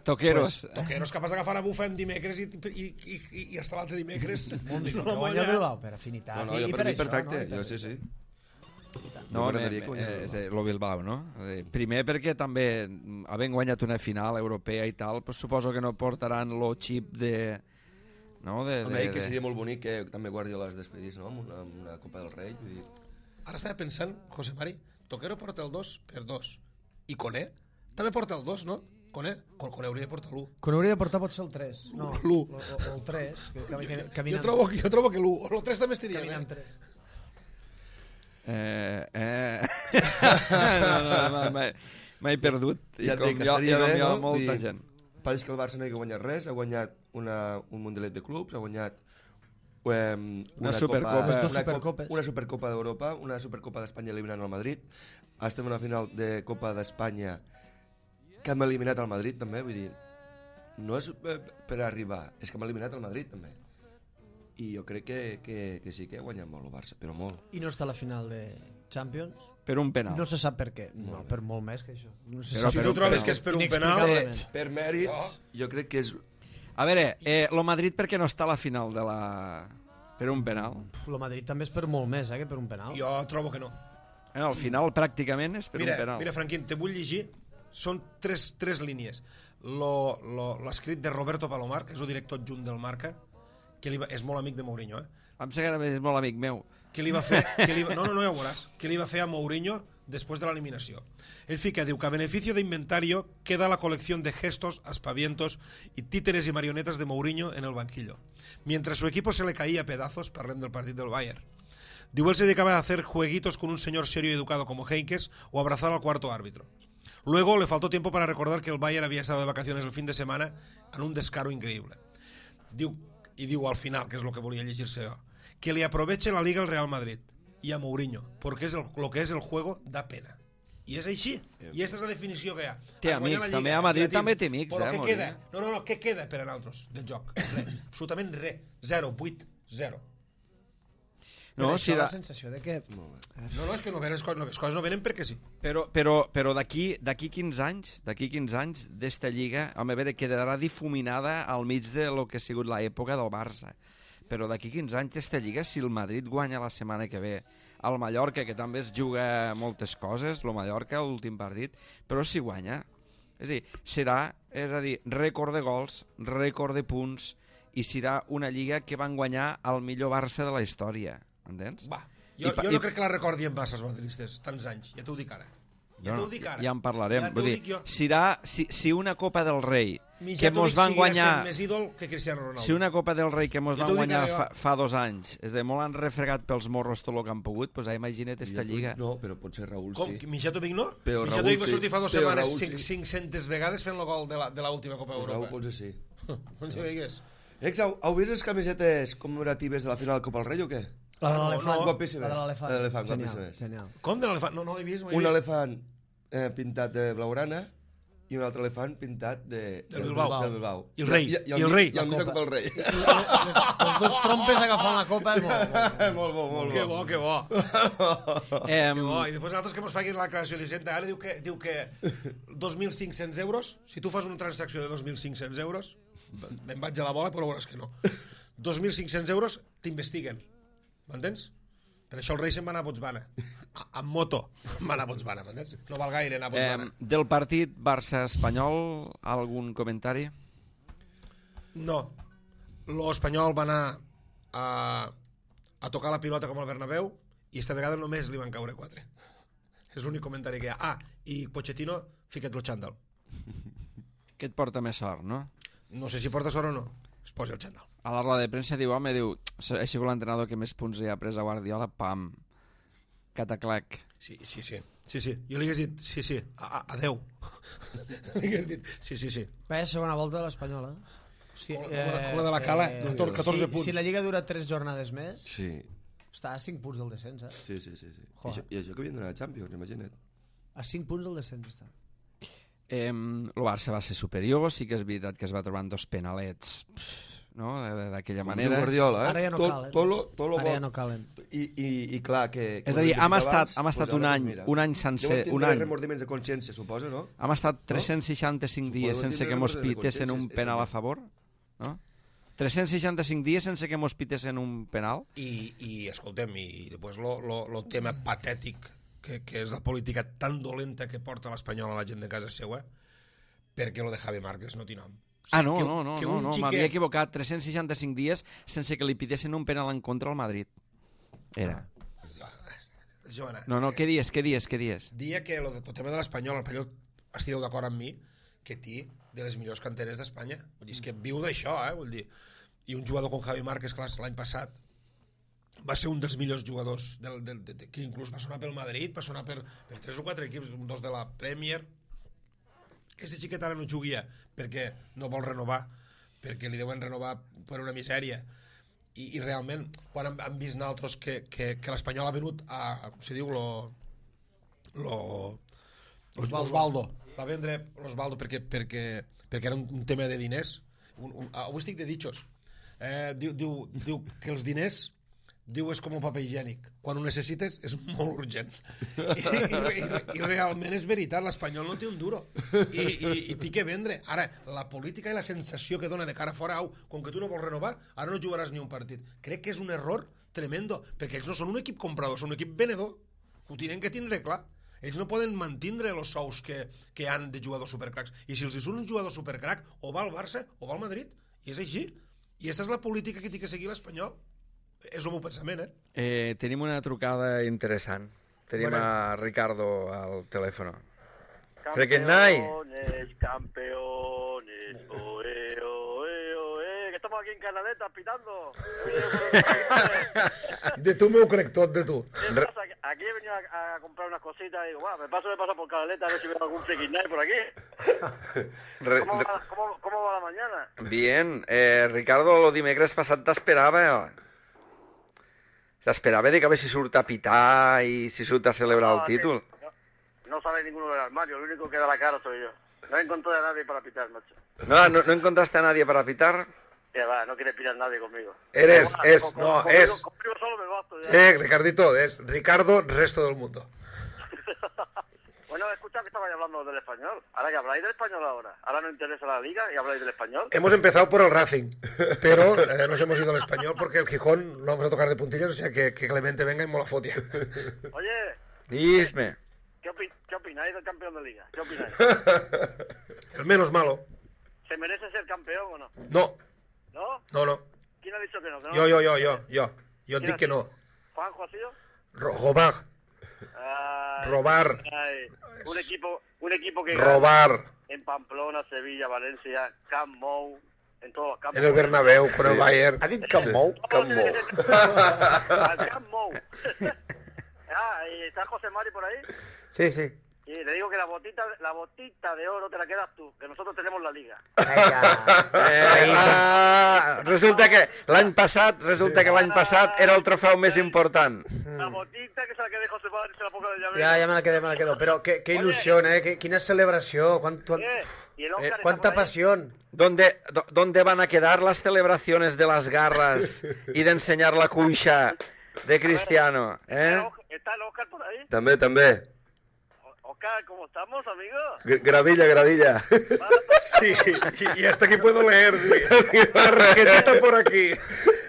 Toqueros. Toqueros capaç d'agafar a bufa en dimecres i hasta l'altre dimecres. Que guanya el Bilbao per afinitat. No, per mi perfecte, jo sí. No, lo Bilbao, no? Primer perquè també, havent guanyat una final europea i tal, pues suposo que no portaran lo xip de no? Home, que seria molt bonic que també Guardiola es despedís, no? Amb una Copa del Rei. Vull dir... Ara estava pensant, José Mari, Toquero porta el 2 per 2. I Koné també porta el 2, no? Koné hauria de portar l'1. Quan hauria de portar potser el 3. No, L'1. O el 3. Jo trobo que l'1. O el 3 també estaria Caminant bé. 3. No, m'he perdut. I Ja et com dic, jo, estaria bé, no? molta gent. Pareix que el Barça no hi ha guanyat res, ha guanyat un Mundialet de clubs, ha guanyat una Supercopa. Dos Supercopes. una Supercopa d'Europa, una Supercopa d'Espanya eliminant el Madrid. Estem en una final de Copa d'Espanya que hem eliminat el Madrid també, vull dir, no és per arribar, és que hem eliminat el Madrid també. I jo crec que sí que ha guanyat molt el Barça, però molt. I no està a la final de Champions. Per un penal. No se sap per què. No, per molt més que això. No se Però sap. Si tu trobes que és per un penal... Inexplicable. Per mèrits, jo crec que és... A veure, el Madrid per què no està a la final de la... Per un penal? El Madrid també és per molt més, que per un penal. Jo trobo que no. Al final pràcticament és per un penal. Mira, Franquín, te vull llegir. Són tres línies. L'escrit de Roberto Palomar, que és el director adjunt del Marca, que és molt amic de Mourinho, Em sembla que és molt amic meu. que li va fer... No, ja ho veuràs. Que li va fer a Mourinho después de la eliminación. Él fica, diu que a beneficio de inventario queda la colección de gestos, aspavientos y títeres y marionetas de Mourinho en el banquillo. Mientras su equipo se le caía a pedazos, parlem del partido del Bayern. Diu, él se dedicaba a hacer jueguitos con un señor serio y educado como Heynckes o abrazar al cuarto árbitro. Luego le faltó tiempo para recordar que el Bayern había estado de vacaciones el fin de semana en un descaro increíble. Diu al final, que es lo que volia llegir-se jo, que le aproveche la Liga al Real Madrid y a Mourinho, porque lo que es el juego da pena. I és així, i aquesta és la definició que hi ha. Té Has guanyat amics, la Lliga, també a Madrid llatins, també té amics, però què Mourinho. queda? No, què queda per a nosaltres del joc? Res, absolutament res. 0, 8, 0. No, Però si això la... la sensació de que... No, és que no venen les coses no venen perquè sí. Però d'aquí 15 anys d'esta lliga, home, a veure, quedarà difuminada al mig de lo que ha sigut l'època del Barça. Però d'aquí 15 anys d'esta lliga, si el Madrid guanya la setmana que ve al Mallorca, que també es juga moltes coses, el Mallorca, l'últim partit, però si guanya, és a dir, serà, rècord de gols, rècord de punts, i serà una lliga que van guanyar el millor Barça de la història, entens? Va, jo no crec que la recordi en Barça, els madridistes, tants anys, ja t'ho dic ara. Ja en parlarem. Ja Vull dir, si una Copa del Rei que mos van seguirà guanyar... sent més ídol que Cristiano Ronaldo. Si una Copa del Rei que mos Jo van t'ho dic guanyar ara, fa 2 anys, és de molt han refregat pels morros tot el que han pogut, doncs imagina't esta lliga. No, però potser Raúl Com? sí. Michato Vic no? Però Michato Raúl Vic va sí. sortir fa 2 Però setmanes Raúl sí. 500 vegades fent el gol de l'última Copa Raúl Europa. potser sí. No ens ho digues. Heu vist les camisetes commemoratives de la final de Copa del Rei o què? La de l'elefant. Guapíssimes. La de l'elefant. La de l'elefant, Genial, guapíssimes. genial. Com de l'elefant? No l'he vist. Un elefant pintat de blaugrana i un altre elefant pintat del Bilbao. I el rei. I el mig de Copa del Rei. Els dos trompes agafant la copa és molt bo. Molt bo. Que bo. Que bo. I després nosaltres que mos facin la declaració d'Hisenda, ara diu que 2.500 euros, si tu fas una transacció de 2.500 euros, me'n vaig a la bola, però veuràs que no. 2.500 euros t'investiguen. M'entens? Per això el rei se'n va anar a Botswana. Amb moto. Va anar a Botswana, m'entens? No val gaire anar a Botswana. Del partit Barça-Espanyol, algun comentari? No. L'Espanyol va anar a tocar la pilota com el Bernabéu i esta vegada només li van caure 4. És l'únic comentari que hi ha. I Pochettino, fica't el xandall. Que et porta més sort, no? No sé si porta sort o no. Es posi el xandall. A la roda de premsa diu, ha sigut l'entrenador que més punts ha pres a Guardiola, pam, cataclac. Sí. Jo li hagués dit, sí, adeu. Li hagués dit, sí. Bé, segona volta de l'Espanyol, Sí, com la de la Cala, 14 punts. Si la Lliga dura 3 jornades més, Sí. està a 5 punts del descens, Sí. I això que havien donat a Champions, imagina't. A 5 punts del descens està. El Barça va ser superior, sí que és veritat que es va trobar en 2 penalets, no? D'aquella manera. Guardiola, Ara ja no calen. Tot lo Ara ja no calen. I clar que... És a dir, hem estat un any sencer... Deuen tindre remordiments de consciència, suposa, no? Hem estat 365 dies sense que mos pitessin un penal a favor, no? 365 dies sense que mos pitessin un penal. I escoltem, i després lo tema patètic que és la política tan dolenta que porta l'Espanyol a la gent de casa seva, perquè lo de Javi Márquez no té nom. No, que un m'havia equivocat. 365 dies sense que li pitessin un penal en contra al Madrid. Era. Joana, No, què dies? dia que el tema de l'Espanyol, estireu d'acord amb mi, que té de les millors canteres d'Espanya. Vull dir, és que viu d'això, vull dir. I un jugador com Javi Márquez, clar, l'any passat va ser un dels millors jugadors que inclús va sonar pel Madrid, va sonar per 3 o 4 equips, dos de la Premier. Aquest xiquet ara no juguia perquè no vol renovar, perquè li deuen renovar per una misèria. I realment, quan han vist nosaltres que l'Espanyol ha venut a, com se diu, l'Osvaldo. Va vendre l'Osvaldo perquè era un tema de diners. Avui estic de ditxos. Diu que els diners és com un paper higiènic. Quan ho necessites és molt urgent. I realment és veritat, l'Espanyol no té un duro. I té que vendre. Ara, la política i la sensació que dona de cara fora, com que tu no vols renovar, ara no jugaràs ni un partit. Crec que és un error tremendo, perquè ells no són un equip comprador, són un equip venedor. Ho tenen que tindre clar. Ells no poden mantindre els sous que han de jugadors supercracs. I si els surt un jugador supercrac, o va al Barça o va al Madrid. I és així. I aquesta és la política que té que seguir l'Espanyol. És el meu pensament, Tenim una trucada interessant. Tenim a Ricardo al telèfon. Campeones, oe, oe, oe, que estamos aquí en Canaleta pitando. De tu m'ho crec tot, de tu. ¿Qué pasa? Aquí he venido a comprar unas cositas y digo, bueno, me paso por Canaleta a ver si veo algún freaking night por aquí. ¿Cómo va la mañana? Bien, Ricardo, lo dimecres passat t'esperava. T'esperava de que a veure si surt a pitar i si surt a celebrar el títol. No sale ninguno del armario, el único que da la cara soy yo. No encontré a nadie para pitar, macho. ¿No encontraste a nadie para pitar? Ya va, no quiere pitar nadie conmigo. Conmigo solo me basto ya. Ricardito, es Ricardo, resto del mundo. Bueno, escucha que estabais hablando del español. Ahora que habláis del español ahora no interesa la liga y habláis del español. Hemos empezado por el Racing, pero nos hemos ido al español porque el Gijón lo vamos a tocar de puntillas, o sea que Clemente venga y mola fotia. Oye, Dime. ¿qué opináis del campeón de liga? ¿Qué opináis? El menos malo. ¿Se merece ser campeón o no? No. ¿No? No. ¿Quién ha dicho que no? Yo digo que no. ¿Juanjo ha sido? Robar. Un equipo que Robar. gana en Pamplona, Sevilla, Valencia, Camp Nou, en todos los campos. En el Bernabéu, con el Bayern. Ha dit Camp Nou? Camp Nou. ¿Y está José Mari por ahí? Sí. Y le digo que la botita de oro te la quedas tú, que nosotros tenemos la liga. Resulta que l'any passat era el trofeu més important. La botita que se la quede José Mari se la ponga de llavero. Ya me la quedo. Pero qué ilusión, Quina celebración. Y el Óscar Cuánta está por ahí. pasión. ¿Dónde van a quedar las celebraciones de las garras y de enseñar la cuixa de Cristiano? ¿Está el Óscar por ahí? També. Óscar, ¿cómo estamos, amigo? Gravilla. Sí, y hasta aquí puedo leer. Tarjetita por aquí.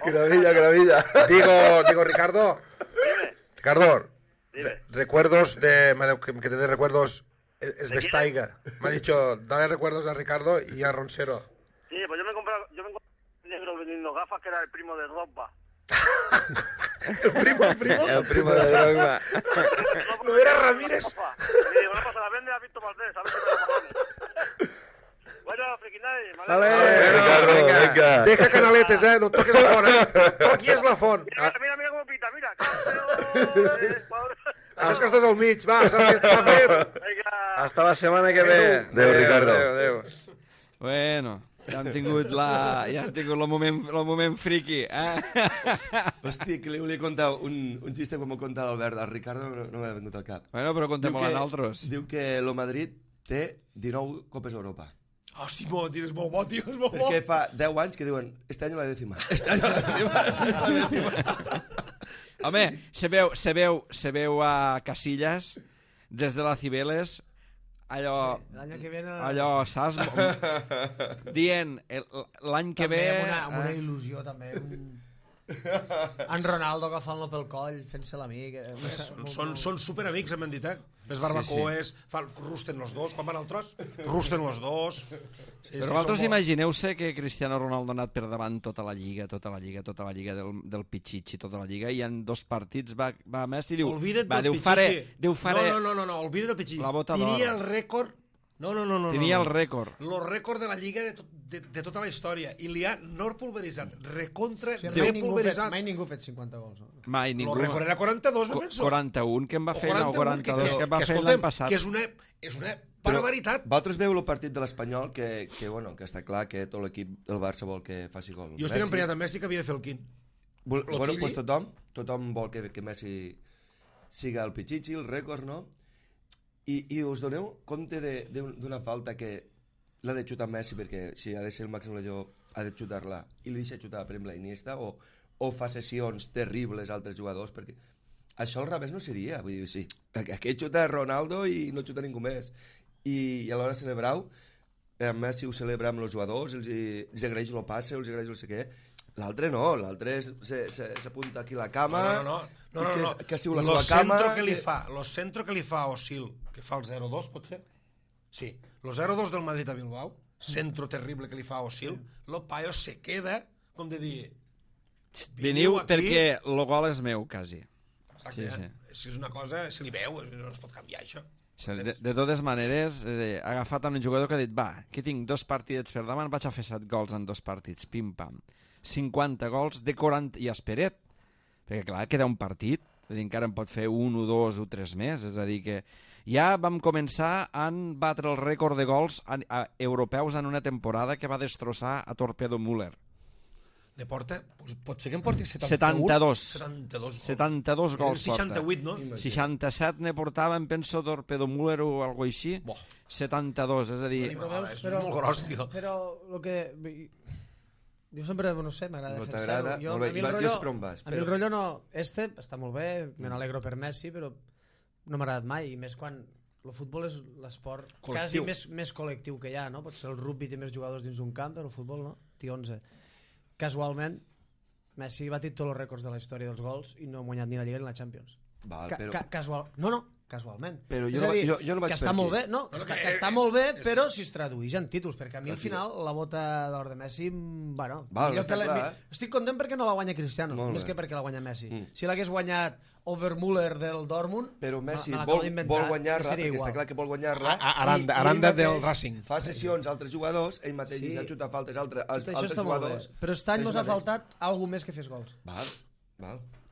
Gravilla. Digo, Ricardo. Dime. Ricardo, Dime. recuerdos que te dé recuerdos es Vestaiga. Me ha dicho, dale recuerdos a Ricardo y a Ronsero. Sí, pues yo me encontré un negro vendiendo gafas que era el primo de Drogba. El primo de Drogba. No era Ramírez. Y digo, no pasa, la vende a Víctor Valdés, a ver si me lo pagamos. Bueno, friquinay, Vale. Ricardo, venga. Deja canaletes, no toques la font, Tot aquí és la font. Mira com pita, mira. Campeones, Això és que estàs al mig, va, s'ha fet. Vinga. Hasta la setmana que ve. Adéu, Ricardo. Adéu. Bueno, ja han tingut el moment friqui. Hòstia, que li volia contar un xiste quan m'ho conta l'Albert. El Ricardo no m'ha vengut al cap. Bueno, però contem-ho a nosaltres. Diu que el Madrid té 19 Copes d'Europa. Oh, Simó, tio, és molt bo, tio, és molt bo. Perquè fa 10 anys que diuen este año la décima. Este año la décima. Home, se veu a Casillas des de la Cibeles allò, Sí, l'any que viene... allò, saps? Dient l'any que ve... Amb una il·lusió, també. En Ronaldo agafant-lo pel coll, fent-se l'amic. Són superamics, hem dit, Les barbacoes, rusten los dos, quan van al tros, rusten los dos. Però vosaltres imagineu-se que Cristiano Ronaldo ha anat per davant tota la lliga del Pichichi, tota la lliga, i en 2 partits va Messi i diu... Olvida't del Pichichi. No, olvida't del Pichichi. Tenia el rècord... No. Tenia el rècord. El rècord de la lliga de tota la història. I li ha no pulveritzat, repulveritzat. Mai ningú ha fet 50 gols. Mai ningú. El rècord era 42, no penso. 41 que em va fer, no, 42 que em va fer l'any passat. Que és una barbaritat. Vosaltres veu el partit de l'Espanyol que està clar que tot l'equip del Barça vol que faci gol. Jo estic emprenyat amb Messi que havia de fer el quin. Bueno, pues tothom vol que Messi siga el Pichichi, el rècord, no? I us doneu compte d'una falta que l'ha de xutar Messi, perquè si ha de ser el màxim goleador ha de xutar-la i li deixa xutar per exemple la Iniesta, o fa sessions terribles a altres jugadors, perquè això al revés no seria, vull dir, sí, aquest xuta Ronaldo i no xuta ningú més, i a l'hora de celebrar-ho Messi ho celebra amb els jugadors, els agraeix el passe, els agraeix el sé què. L'altre no, l'altre s'apunta aquí a la cama. No. Que ha sigut la seva cama. Lo centro que li fa Osil, que fa el 0-2, pot ser? Sí, lo 0-2 del Madrid a Bilbao, centro terrible que li fa Osil, lo paio se queda, com de dir... Veniu perquè el gol és meu, quasi. Exacte, sí. Si és una cosa, se li veu, no es pot canviar, això. De totes maneres, ha agafat un jugador que ha dit, va, que tinc 2 partidets per davant, vaig a fer 7 gols en 2 partits, pim-pam. 50 gols de 40, i esperet, perquè clar, queda un partit, vull dir, encara en pot fer 1 o 2 o 3 més, és a dir que ja vam començar a batre el rècord de gols europeus en una temporada que va destrossar a Torpedo Müller. Ne porta, pot ser que en porti 72. 72 gols porta. 68, no? 67 ne portava, em penso, Torpedo Müller o alguna així. 72, és a dir... És molt gros, tio. Però el que... Jo sempre, no sé, m'agrada defensar-ho. A mi el rotllo no... està molt bé, me n'alegro per Messi, però no m'ha agradat mai, i més quan el futbol és l'esport quasi més col·lectiu que hi ha, no? Potser el rugby té més jugadors dins un camp, però el futbol no, té 11. Casualment, Messi ha batit tots els rècords de la història dels gols i no ha guanyat ni la Lliga ni la Champions. Casualment. Però jo no vaig que està molt bé, no? Que està molt bé, però si es tradueix en títols, perquè a mi al final la bota d'or de Messi, bueno, estic content perquè no la guanya Cristiano, més que perquè la guanya Messi. Si l'hagués guanyat Overmüller del Dortmund, però Messi vol guanyar-la, perquè està clar que vol guanyar-la, Aranda del Racing. Fa sessions a altres jugadors, ell mateix ja xuta faltes a altres jugadors. Però aquest any ens ha faltat alguna més que fes gols. Val.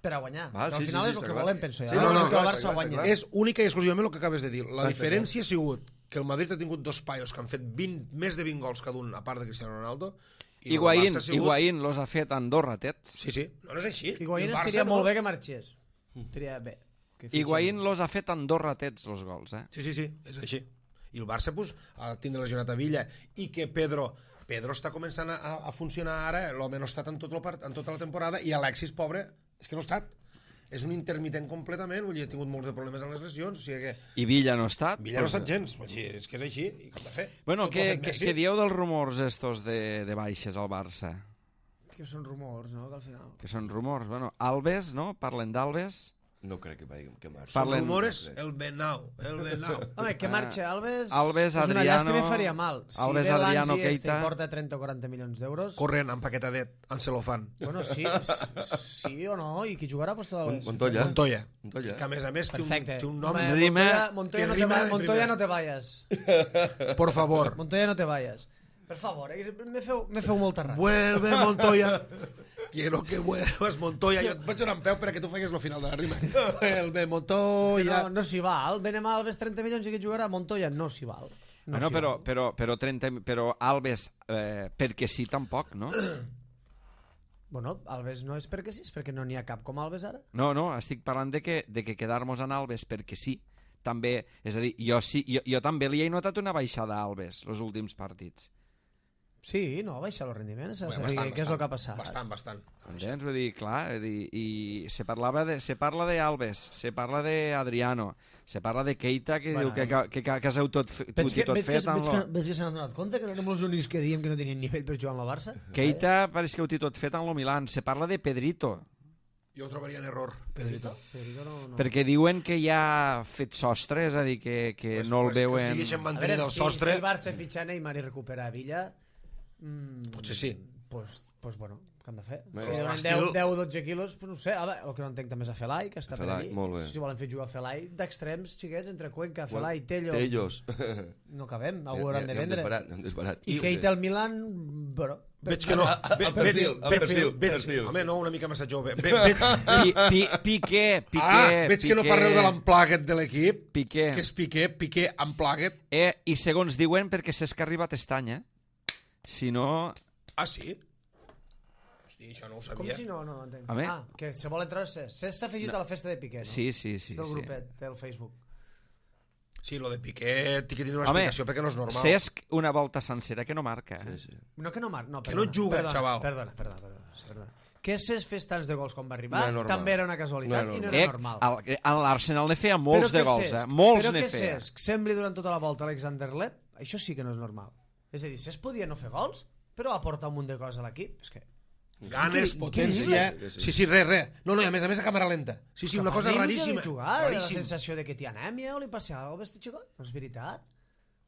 Per a guanyar. Al final és el que volem, penso jo. Que el Barça guanyi. És única i exclusivament el que acabes de dir. La diferència ha sigut que el Madrid ha tingut 2 paios que han fet més de 20 gols cada un, a part de Cristiano Ronaldo. Higuaín los ha fet a Andorra, tets. Sí. No és així. Higuaín estaria molt bé que marxés. Estaria bé. Higuaín los ha fet a Andorra, tets, los gols, eh? Sí, és així. I el Barça, pues, ha tindre lesionat a Villa, i que Pedro està començant a funcionar ara, l'home no ha estat en tota la temporada, i Alexis, pobre, és que no ha estat. És un intermitent completament, vull dir, ha tingut molts de problemes amb les lesions, o sigui que... I Villa no ha estat? Villa no ha estat gens, vull dir, és que és així, i com de fer? Bueno, què dieu dels rumors estos de baixes al Barça? Que són rumors, no?, que al final... Que són rumors, bueno, Alves, no?, parlen d'Alves... No crec que marxi. Són rumores, el Benau. Home, que marxi Alves és una llàstima i faria mal. Si ve Adriano Keita porta 30 o 40 milions d'euros... Corrent, empaquetadet, en celofan. Bueno, sí o no, i qui jugarà? Montoya. Que a més té un nom... Montoya no te vayas. Por favor. Montoya no te vayas. Per favor, me feu molta ràbia. Vuelve Montoya. Quiero que vuelvas Montoya. Jo et vaig donar en peu perquè tu faigues el final de la rima. Vuelve Montoya. No s'hi val. Venem a Alves 30 milions i que jugarà Montoya no s'hi val. Però Alves perquè sí tampoc, no? Bueno, Alves no és perquè sí, és perquè no n'hi ha cap com Alves ara. No, estic parlant de que quedar-nos en Alves perquè sí també, és a dir, jo també li he notat una baixada a Alves els últims partits. Sí, no, baixa el rendiment, s'ha de Bé, saber què és el que ha passat. Bastant. Entens? Vull dir, clar, i se parla de Alves, se parla de Adriano, se parla de Keita, que diu que caseu tot fet. Veig que s'han adonat compte que no érem els únics que diem que no tenien nivell per jugar amb la Barça. Keita pareix que ho té tot fet amb lo Milan. Se parla de Pedrito, Jo ho trobaria en error, Pedrito. no. perquè diuen que ja ha fet sostre, és a dir, que no el veuen... Que segueixen A mantenint veure, el sostre... si el Barça fitxa Neymar i recupera Villa... Potser sí. Pues bueno, què han de fer? Bé, Si donen l'estil- 10-12 quilos, pues no ho sé. Ara, el que no entenc també és a Felai, que està per Felai, allí. molt bé. Si volen fer jugar Felai d'extrems, xiquets, entre Cuenca, Felai, Tello... Tellos. No cabem, algú hauran de vendre. Un desbarat. I Keita al Milan, bueno... Veig que no. Perfil. Home, no, una mica massa jove. Piqué. Veig que no parleu de l'Unplugged de l'equip. Piqué. Que és Piqué Unplugged. I segons diuen, perquè Cesc ha arribat aquest any, Si no... Ah, sí? Hosti, això no ho Com sabia. si no entenc. Home. Que se vol entrar Cesc. Cesc s'ha afegit a la festa de Piqué, no? Sí. Del grupet, del Facebook. Sí, lo de Piqué té que tindre una explicació perquè no és normal. Cesc una volta sencera que no marca. Sí. No, que no marca. No, Que no juga, xaval. Perdona. Que Cesc fes tants de gols quan va arribar No era normal. també era una casualitat No i era no era normal. L'Arsenal ne feia molts de gols, molts ne Però que feia. Cesc sembli durant tota la volta Alexander Lep, això sí que no és normal. És a dir, Cesc podia no fer gols, però aporta un munt de coses a l'equip. És que... Ganes, Què potència... dius? Sí, res. No, i a més a cámara lenta. Sí, una cosa Capaz raríssima. de jugar, la Raríssim. sensació de que té anèmia o li passa alguna cosa a aquest xicot. No és veritat.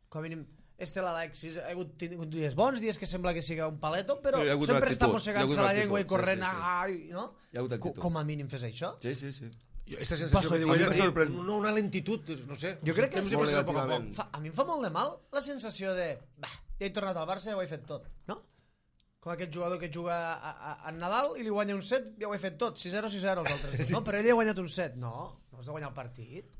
Com a mínim, l'Alexis ha tingut dies bons, dies que sembla que siga un paleto, però Hi ha hagut sempre una està actitud, mossegant-se hi ha hagut la una llengua i actitud, corrent, sí. ai, no? Hi ha hagut actitud. Com a mínim fes això. Sí. Aquesta sensació que diu a mi ella, m'ha sorprès. una lentitud, no sé. Jo crec que és molt a poc a negativament. poc. A mi em fa molt de mal la sensació de ja he tornat al Barça, ja ho he fet tot, no? Com aquest jugador que juga a Nadal i li guanya un set, ja ho he fet tot, 6-0, 6-0 els altres. No, però ell ha guanyat un set. No has de guanyar el partit.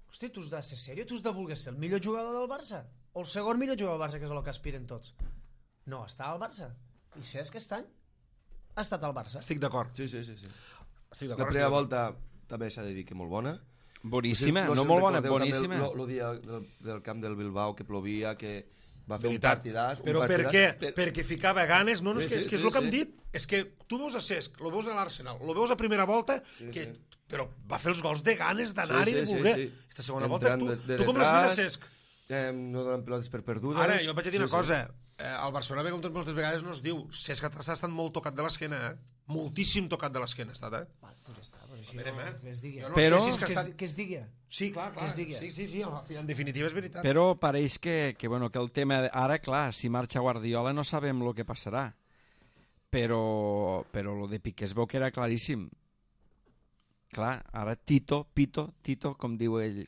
Hosti, tu has de ser seriós, tu has de voler ser el millor jugador del Barça o el segon millor jugador del Barça, que és el que aspiren tots. No, està al Barça. I Cesc aquest any ha estat al Barça. Estic d'acord. Sí. Estic La d'acord. primera volta també s'ha de dir que molt bona. Boníssima, No sé no si molt bona, recordeu també boníssima. El dia del camp del Bilbao que plovia, que va fer Veritat. un partidàs. Però per què? Perquè ficava ganes. No, és Sí, que és el que hem dit. És que tu veus a Cesc, lo veus a l'Arsenal, lo veus a primera volta, però va fer els gols de ganes d'anar-hi, de voler. Aquesta segona volta, tu com l'has vist a Cesc? No donen pilotes per perdudes. Ara, jo vaig a dir una cosa. El Barcelona, moltes vegades no es diu, Cesc ha estat molt tocat de l'esquena, moltíssim tocat de l'esquena ha estat, Val, doncs ja està, doncs així Verem, que es digui. Jo no Però- sé si és que ha estat... Que es digui. Sí, clar. que es digui. Sí, en definitiva és veritat. Però pareix que el tema... Ara, clar, si marxa Guardiola no sabem el que passarà. Però lo de Piqué es veu que era claríssim. Clar, ara Tito, com diu ell,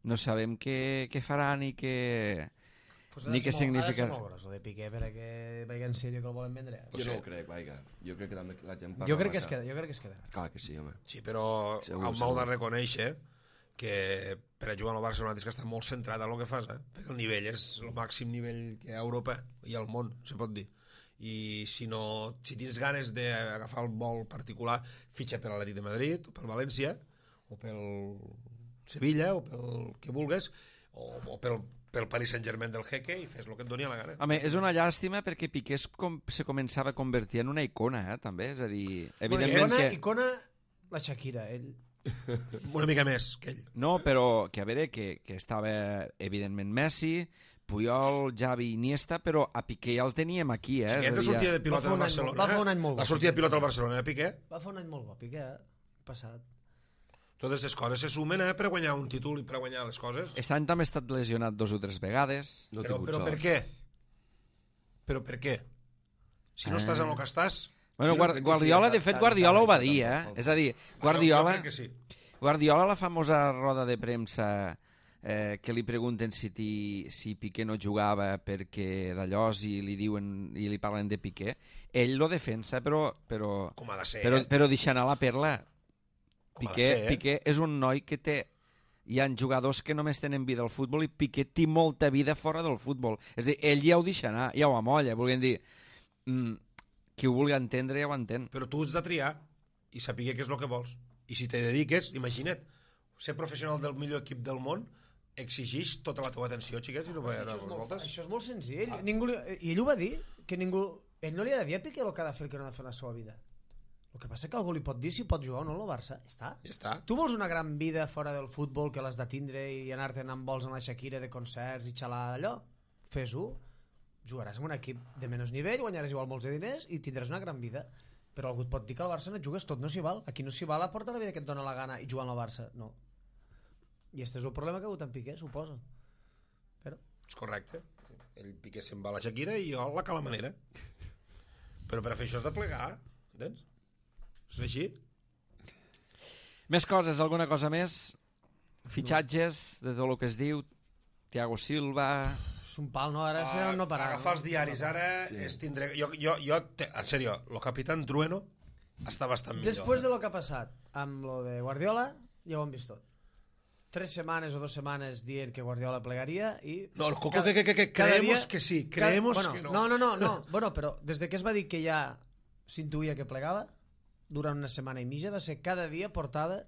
no sabem què farà ni què significa. Ha de ser molt gros, el de Piqué, perquè vagi en sèrio que el volen vendre. Jo no ho crec, vaiga. Jo crec que també la gent parla Jo crec que massa. es queda. Clar que sí, home. Sí, però Segur, el Mau de reconèixer que per a jugar al Barcelona tens que estar molt centrat en el que fas, perquè el nivell és el màxim nivell que hi ha a Europa i al món, se pot dir. I si tens ganes d'agafar el vol particular, fitxa per l'Atlètic de Madrid, o pel València, o pel Sevilla, o pel que vulgues, o pel Paris Saint-Germain del Jeque, i fes el que et doni a la gana. Home, és una llàstima perquè Piqué se començava a convertir en una icona, també. És a dir, evidentment Icona, la Shakira, ell. Una mica més que ell. No, però que a veure, que estava evidentment Messi, Puyol, Xavi, Iniesta, però a Piqué ja el teníem aquí, Sí, aquesta sortida de pilota al Barcelona. Va fer un any molt bo. La sortida de pilota al Barcelona, Piqué. Va fer un any molt bo, Piqué, passat. Totes les coses se sumen per guanyar un títol i per guanyar les coses. Aquest any també ha estat lesionat 2 o 3 vegades. No he Però tingut per sort. què? Però per què? Si no estàs en el que estàs... Bueno, Jo crec que Guardiola, sí, de fet, tant, Guardiola ho va tant, dir, tant. És a dir, Jo Guardiola, crec que sí. Guardiola, la famosa roda de premsa que li pregunten si Piqué no jugava perquè d'allò i li diuen i li parlen de Piqué, ell lo defensa, però Com ha de ser, però deixa anar la perla. Com ha de ser, Piqué és un noi que té... Hi ha jugadors que només tenen vida al futbol i Piqué té molta vida fora del futbol. És a dir, ell ja ho deixa anar, ja ho amolla. Volguem dir, qui ho vulgui entendre ja ho entén. Però tu has de triar i saber què és el que vols. I si te dediques, imagina't, ser professional del millor equip del món exigeix tota la teva atenció, xiquets, i no poden anar a les voltes. Això és molt senzill. I ell ho va dir, que ningú... Ell no li ha de dir a Piqué el que ha de fer, el que no ha de fer en la seva vida. El que passa que algú li pot dir si pot jugar o no al Barça. Ja està. Tu vols una gran vida fora del futbol que l'has de tindre i anar-te'n amb vols amb la Shakira de concerts i xalar allò? Fes-ho. Jugaràs en un equip de menys nivell, guanyaràs igual molts de diners i tindràs una gran vida. Però algú et pot dir que al Barça no et jugues tot, no s'hi val. Aquí no s'hi val a portar la vida que et dona la gana i jugar al Barça. No. I este és el problema que ha hagut en Piqué, suposo. Però... És correcte. Ell Piqué se'n va a la Shakira i jo la calamanera. Però per a fer això has de plegar, entens? És així? Més coses, alguna cosa més? Fitxatges, de tot el que es diu, Thiago Silva... És un pal, no? Ara no parar. Agafar els diaris, ara és tindre... En sèrio, el capitán Trueno està bastant millor. Després de lo que ha passat amb lo de Guardiola, ja ho hem vist tot. 3 setmanes o 2 setmanes dient que Guardiola plegaria i... No, creemos que sí, creemos que no. No. Bueno, però des de que es va dir que ja s'intuïa que plegava, durant una setmana i mitja va ser cada dia portada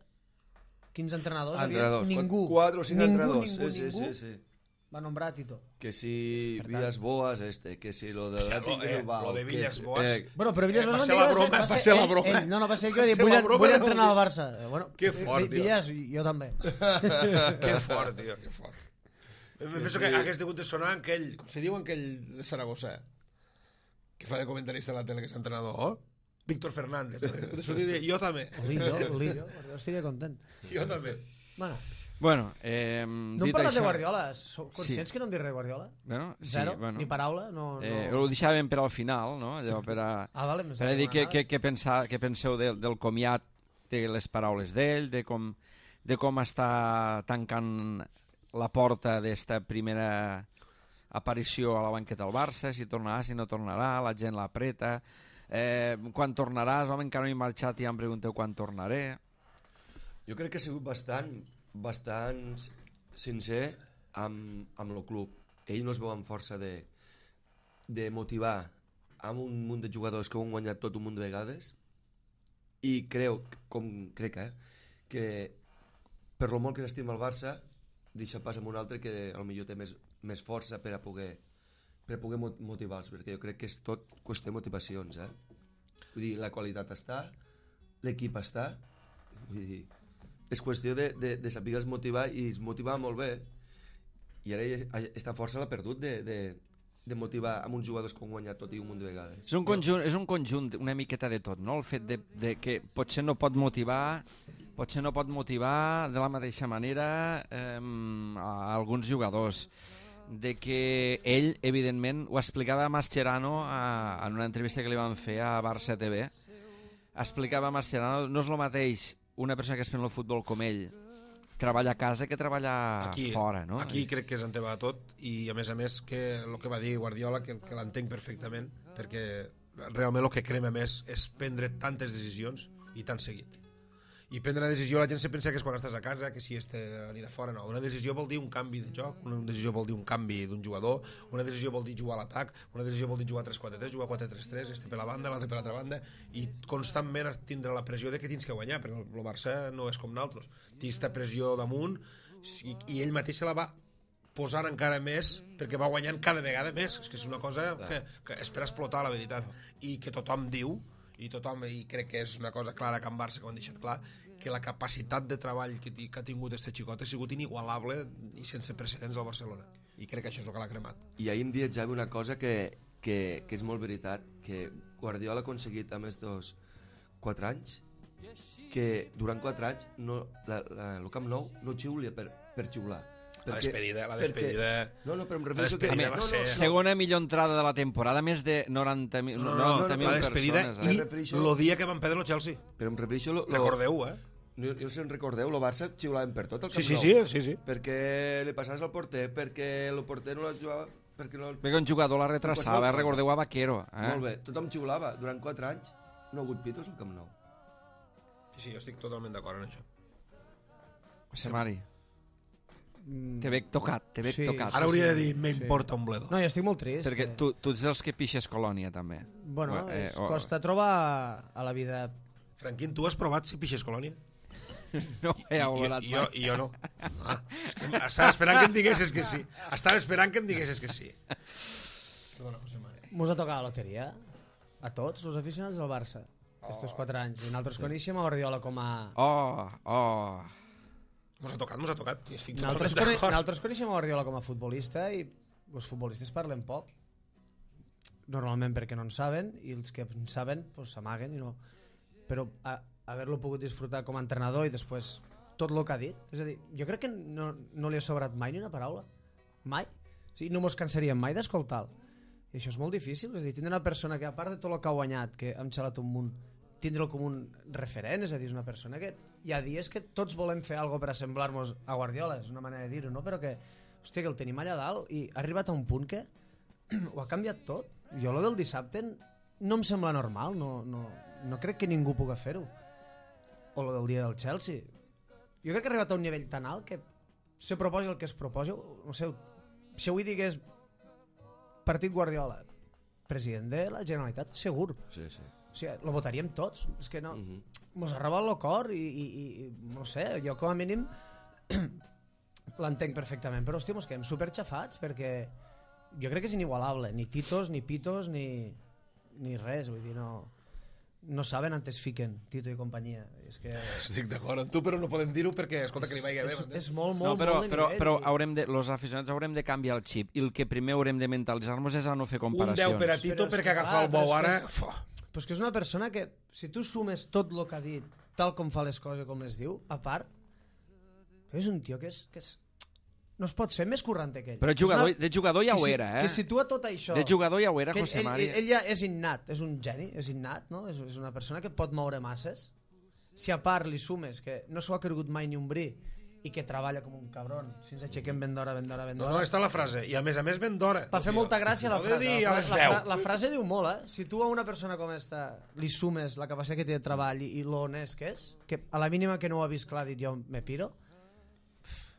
15 entrenadors. Ningú. 4 o 5 entrenadors. Ningú. Sí. Va nombrar a Tito. Que si Villas Boas que si lo de lo de Villas Boas. Bueno, però Villas Boas va ser la broma. No, va ser que vull entrenar al Barça. Bueno, que fort, tio. Villas, jo també. Que fort, tio, que fort. Penso que hagués degut de sonar aquell, com se diu aquell de Saragossa, que fa de comentarista a la tele, que és entrenador, Víctor Fernández. Jo també. Olillo, jo estaria content. Jo també. Bueno, no hem parlat això... de Guardiola. Sou conscients que no hem dit res de Guardiola? Bueno, sí, Zero? Ni paraula? No. Ho deixàvem per al final, no? Allò per a, vale, per a dir què penseu del comiat, de les paraules d'ell, de com està tancant la porta d'esta primera aparició a la banqueta del Barça, si tornarà, si no tornarà, la gent l'apreta, quan tornaràs, home, encara no he marxat i ja em pregunteu quan tornaré. Jo crec que ha sigut bastant sincer amb el club. Ell no es veu amb força de motivar amb un munt de jugadors que ho han guanyat tot un munt de vegades i crec que per lo molt que s'estima el Barça deixa pas amb un altre que potser té més força per a poder motivar-los, perquè jo crec que és tot qüestió de motivacions, vull dir, la qualitat està, l'equip està, vull dir, és qüestió de saber motivar, i es motivava molt bé, i ara aquesta força l'ha perdut de motivar amb uns jugadors que han guanyat tot i un munt de vegades. És un conjunt una miqueta de tot, no? El fet de que potser no pot motivar de la mateixa manera a alguns jugadors, de que ell, evidentment, ho explicava a Mascherano en una entrevista que li van fer a Barça TV, explicava a Mascherano, no és el mateix una persona que es pren el futbol com ell treballa a casa que treballa fora, no? Aquí crec que és en tema de tot, i a més que el que va dir Guardiola, que l'entenc perfectament, perquè realment el que crema més és prendre tantes decisions i tan seguit. I prendre la decisió, la gent se pensa que és quan estàs a casa, que si anirà fora, no. Una decisió vol dir un canvi de joc, una decisió vol dir un canvi d'un jugador, una decisió vol dir jugar a l'atac, una decisió vol dir jugar 3-4-3, jugar 4-3-3, este per la banda, l'altre per l'altra banda, i constantment tindre la pressió de que tens que guanyar, perquè el Barça no és com nosaltres. Tens aquesta pressió damunt, i ell mateix se la va posar encara més, perquè va guanyant cada vegada més. És que és una cosa que és per explotar, la veritat, i que tothom diu, i crec que és una cosa clara que en Barça, que ho han deixat clar, que la capacitat de treball que ha tingut este xicot ha sigut inigualable i sense precedents al Barcelona, i crec que això és el que l'ha cremat. I ahir em deia Javi una cosa que és molt veritat, que Guardiola ha aconseguit a més dels 4 anys que durant 4 anys el Camp Nou no xiulia per xiular. La despedida... No, però em refereixo que... Segona millor entrada de la temporada, més de 90.000 la despedida persones. I el dia que van perdre el Chelsea. Però em refereixo... Recordeu, Jo si en recordeu, el Barça xiulaven per tot el Camp Nou. Sí. Perquè li passaves al porter, perquè el porter no la jugava... Perquè un jugador la retrasava, recordeu a Vaquero. Molt bé, tothom xiulava. Durant 4 anys no ha hagut pitos al Camp Nou. Sí, jo estic totalment d'acord en això. José Mari. Te veig tocat. Ara hauria de dir, m'importa un bledo. No, jo estic molt trist. Perquè tu ets dels que pixes Colònia, també. Bueno, costa trobar a la vida... Franquín, tu has provat si pixes Colònia? No he volat mai. I jo no. És que Estava esperant que em diguessis que sí. Estava esperant que em diguessis que sí. Perdona, José María. Mos ha tocat la loteria a tots els aficionats del Barça estos 4 anys. I nosaltres coneixem a Guardiola com a... Mos ha tocat. I estic Nosaltres totalment d'acord. nosaltres coneixem a Guardiola com a futbolista i els futbolistes parlen poc. Normalment perquè no en saben i els que en saben pues, s'amaguen i no... Però haver-lo pogut disfrutar com a entrenador i després tot el que ha dit, és a dir, jo crec que no li ha sobrat mai ni una paraula. Mai. O sigui, no mos cansaríem mai d'escoltar-lo. I això és molt difícil, és a dir, tindre una persona que a part de tot el que ha guanyat, que hem xalat un munt, tindre'l com un referent, és a dir, és una persona que hi ha dies que tots volem fer alguna per assemblar-nos a Guardiola, és una manera de dir-ho, no? Però que, hòstia, que el tenim allà dalt i ha arribat a un punt que ho ha canviat tot. Jo lo del dissabte no em sembla normal, no crec que ningú pugui fer-ho. O lo del dia del Chelsea. Jo crec que ha arribat a un nivell tan alt que se proposi el que es proposi, no sé, si avui digués partit Guardiola, president de la Generalitat, segur. Sí. O sigui, lo votaríem tots. És que no... Mos ha robat el cor i no sé, jo com a mínim l'entenc perfectament, però hòstia, mos quedem superxafats perquè jo crec que és inigualable, ni titos, ni pitos, ni res, vull dir, no saben on es fiquen Tito i companyia. És que... Estic d'acord amb tu, però no podem dir-ho perquè, escolta, que li vagi bé. És molt No, però de nivell. los aficionats haurem de canviar el xip i el que primer haurem de mentalitzar-nos és a no fer Un comparacions. 10 per a Tito Però és perquè que, agafar el clar, bou però ara... és que Però és que és una persona que, si tu sumes tot el que ha dit, tal com fa les coses, com les diu, a part, és un tio que és no es pot ser més currante que ell. Però de jugador ja ho era, Que situa tot això... De jugador ja ho era, que José Mari. Ell ja és innat, és un geni, és innat, no? És una persona que pot moure masses. Si a part li sumes que no s'ho ha cregut mai ni un bri i que treballa com un cabron, si ens aixequem ben d'hora. No, està la frase. I a més ben d'hora. Va fer molta gràcia la No de frase. dir a les 10. La frase diu molt, Si tu a una persona com esta li sumes la capacitat que té de treball i lo honest que és, que a la mínima que no ho ha vist clar ha dit jo me piro,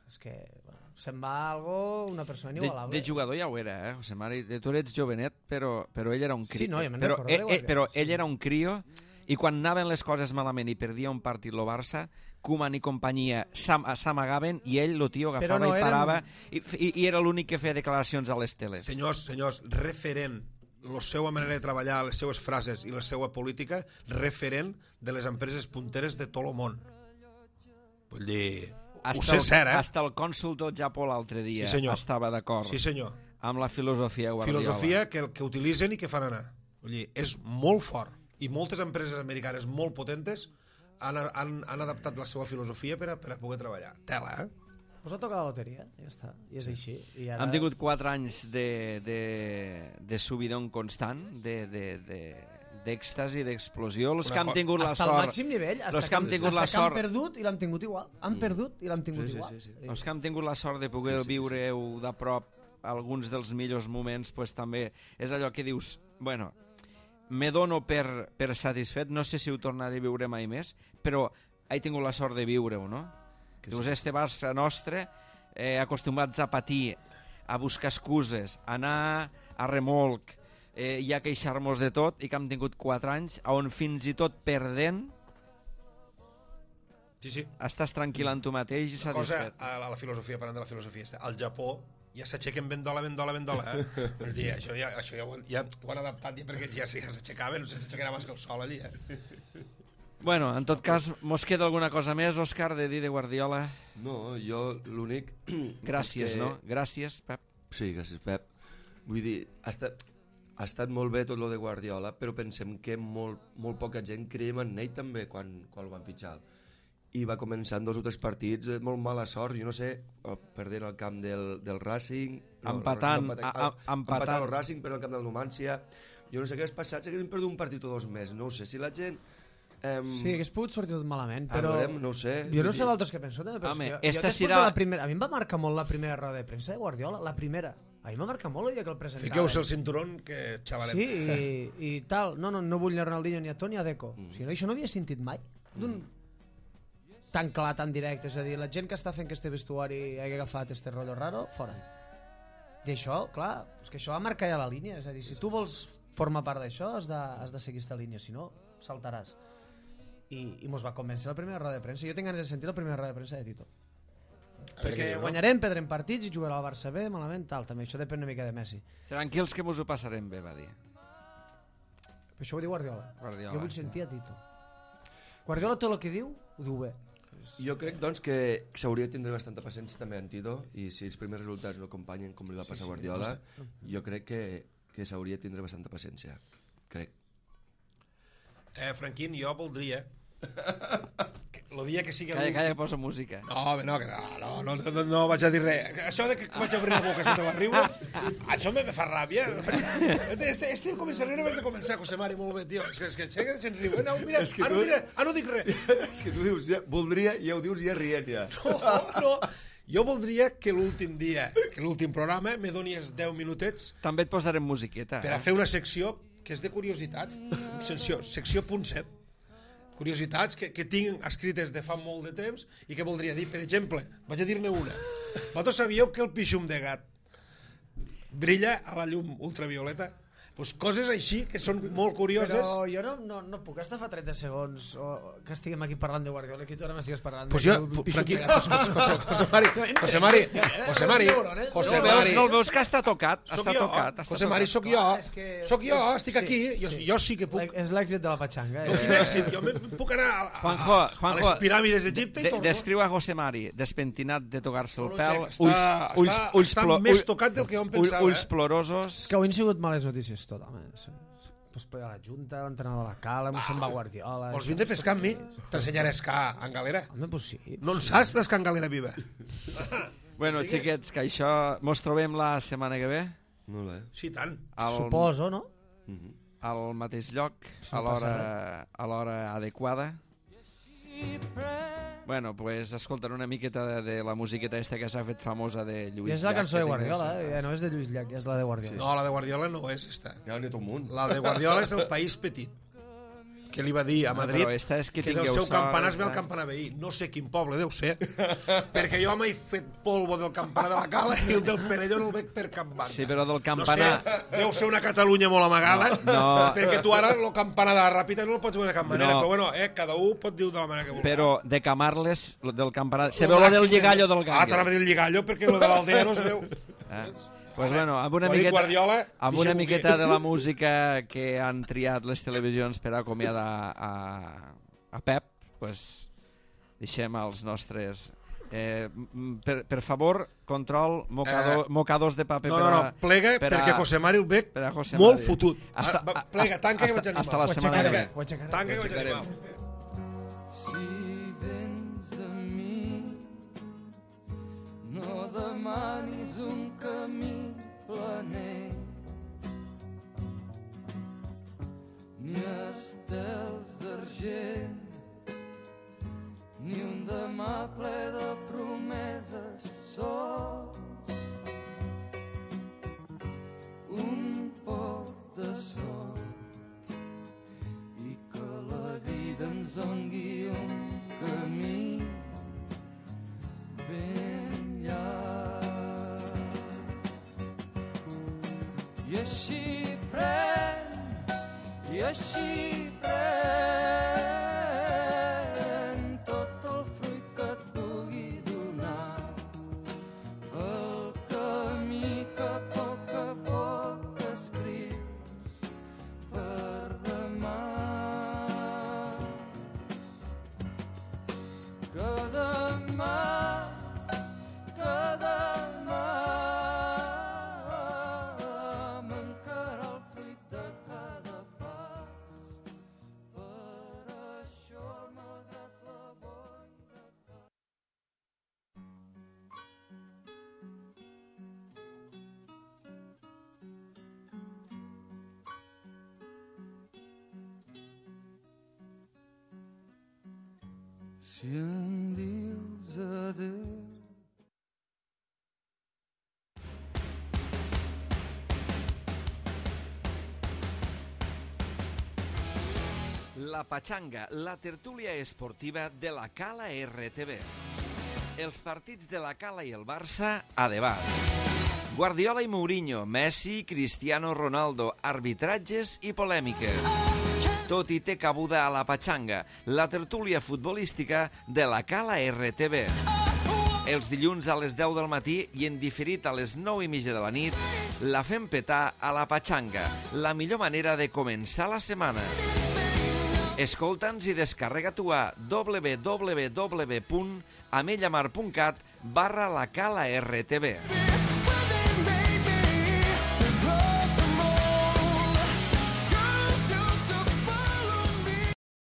és que bueno, se'n va algo, una persona inigualable. De jugador ja ho era, José Mari. Tu eres jovenet, però ell era un crio. Sí, no, ja me'n recordo de Guardiola. Però ell era un crio i quan anaven les coses malament i perdia un partit el Barça, Koeman i companyia s'amagaven i ell, el tio, agafava no i parava i era l'únic que feia declaracions a les teles. Senyors, referent la seva manera de treballar, les seues frases i la seva política, referent de les empreses punteres de tot el món. Vull dir, ho sé cert, Hasta el cònsul del Japó l'altre dia estava d'acord Sí, senyor. amb la filosofia Guardiola. Filosofia que utilitzen i que fan anar. Vull dir, és molt fort. I moltes empreses americanes molt potentes han adaptat la seva filosofia per a poder treballar. Tela, Us ha tocat la loteria, ja està. I és així. I ara... Hem tingut 4 anys de subidon constant, d'èxtasi, d'explosió. Els que han tingut la hasta sort... el màxim nivell, els que han tingut la sort... han perdut i l'han tingut igual. Han perdut i l'han tingut igual. Sí. Els que han tingut la sort de poder viure-ho de prop alguns dels millors moments, pues, també és allò que dius, bueno, me dono per satisfet, no sé si ho tornaré a viure mai més, però he tingut la sort de viure-ho, no? Dius, este Barça nostre, acostumats a patir, a buscar excuses, a anar a remolc, i a queixar-nos de tot, i que hem tingut 4 anys on fins i tot perdent Sí. estàs tranquil en tu mateix i satisfet. A la filosofia, parlant de la filosofia, al Japó ja s'aixequen ben d'ola, Vull dir, això ja ho han adaptat ja perquè ja s'aixecaven, s'aixecarà abans que el sol allí, Bueno, en tot cas, mos queda alguna cosa més, Òscar, de dir de Guardiola? No, jo l'únic... Gràcies, no? Gràcies, Pep. Sí, gràcies, Pep. Vull dir, ha estat molt bé tot lo de Guardiola, però pensem que molt poca gent creiem en ell també quan el van fitxar. I va començar en 2 o 3 partits, molt mala sort, jo no sé, perdent el camp del Racing... Empatant el Racing, però el camp del Numancia. Jo no sé què ha passat, si haguéssim perdut un partit o 2 més, no ho sé, si la gent... Sí, hagués pogut sortir tot malament, però... no ho sé. Jo no sé vosaltres què penseu, també, però Home, jo després de la primera... A mi em va marcar molt la primera roda de premsa de Guardiola, la primera. A mi m'ha marcat molt el dia que el presentaven. Fiqueu-se el cinturón, que xavalem. Sí, i tal. No vull ni a Ronaldinho, ni a Toni, ni a Deco. O sigui, això no havia sentit mai. Tan clar, tan directe. És a dir, la gent que està fent que este vestuari hagi agafat este rotllo raro, fora. I això, clar, és que això va marcar ja la línia. És a dir, si tu vols formar part d'això, has de seguir aquesta línia, si no, saltaràs. I mos va convèncer la primera roda de premsa. Jo tinc ganes de sentir la primera roda de premsa de Tito. Perquè guanyarem, perdrem partits i jugarà el Barça bé, malament, tal. També això depèn una mica de Messi. Tranquils que mos ho passarem bé, va dir. Però això ho diu Guardiola. Guardiola. Jo vull sentir a Tito. Guardiola tot el que diu, ho diu bé. Jo crec, doncs, que s'hauria de tindre bastanta paciència també en Tito, i si els primers resultats no acompanyen com li va passar a Guardiola, jo crec que s'hauria de tindre bastanta paciència. Crec. Franquín, jo voldria... El dia que sigui... Calla, posa música. No vaig a dir res. Això de que vaig a obrir la boca sota la riure, això me fa ràbia. Este comença a riure, vaig a començar, José Mari, molt bé, tio. És que se'n riu. No, mira, no dic res. És que tu dius, voldria, i ja ho dius ja rient, ja. No. Jo voldria que l'últim dia, que l'últim programa, me donis 10 minutets... També et posarem musiqueta. Per a fer una secció que és de curiositats, secció punt 7. Curiositats que tinc escrites de fa molt de temps i que voldria dir, per exemple, vaig a dir-ne una. Vosaltres sabíeu que el pixum de gat brilla a la llum ultravioleta? Pues coses així que són molt curioses. Però jo no puc estar fa 30 segons que estiguem aquí parlant de Guardiola i que tu ara m'estigues parlant pues jo, Franqui, José Mari, no el veus que està tocat? José Mari, sóc jo, estic aquí, jo sí que puc. És l'èxit de la patxanga. Jo puc anar a les piràmides d'Egipte i torno. Descriu a José Mari despentinat de tocar-se el pèl, està més tocat del que jo em pensava. Ulls plorosos. És que avui han sigut males notícies tot, home. Pues per la Junta, l'entrenador de la Cala, se'n va Guardiola... Vols vindre a pescar amb mi? T'ensenyaré a escar en galera. Home, pues sí. No en saps d'escar en galera viva? Bueno, xiquets, que això... Mos trobem la setmana que ve? Molt bé. Sí, tant. Suposo, no? Al mateix lloc, a l'hora adequada. Bueno, pues escolten una miqueta de la musiqueta esta que s'ha fet famosa de Lluís Llach. És la cançó de Guardiola, no és de Lluís Llach, és la de Guardiola. No, la de Guardiola no és esta. Ja n'hi ha tot un munt. La de Guardiola és el País Petit, que li va dir a Madrid que del seu campanar es ve el campanar veí. No sé quin poble deu ser, perquè jo m'he fet polvo del campanar de la Cala i el del Perelló no el veig per cap banda. Sí, però del campanar... No sé, deu ser una Catalunya molt amagada, perquè tu ara el campanar de la Ràpita no el pots veure de cap manera, però bueno, cada un pot dir de la manera que vulgui. Però de Camarles, del campanar... Se veu la del lligallo del gallo. T'anava a dir el lligallo, perquè el de l'Aldea no es veu. Pues bueno, amb una miqueta de la música que han triat les televisions per acomiadar a Pep, pues deixem els nostres... per favor, control, mocados de paper... No, plega, perquè José Mari el veig molt fotut. Plega, tanca que vaig animar. Hasta la setmana que ve. Tanca que vaig animar. Si vens a mi, no demanis un camí planer, ni estels d'argent, ni un demà ple de promeses sols, un poc de sort i que la vida ens doni un camí ben llarg. I així pren tot el fruit que et pugui donar el camí que a poc escrius per demà. Que demà mancarà el fruit de cada pas. Per això, malgrat la boira que... Si em dius adéu, La Patxanga, la tertúlia esportiva de la Cala RTV. Els partits de la Cala i el Barça a debat. Guardiola i Mourinho, Messi, Cristiano Ronaldo, arbitratges i polèmiques. Tot hi té cabuda a la Patxanga, la tertúlia futbolística de la Cala RTV. Els dilluns a les 10 del matí i en diferit a les 9:30 de la nit, la fem petar a la Patxanga, la millor manera de començar la setmana. Escolta'ns i descarrega-t'ho a www.amellamar.cat/la cala RTV.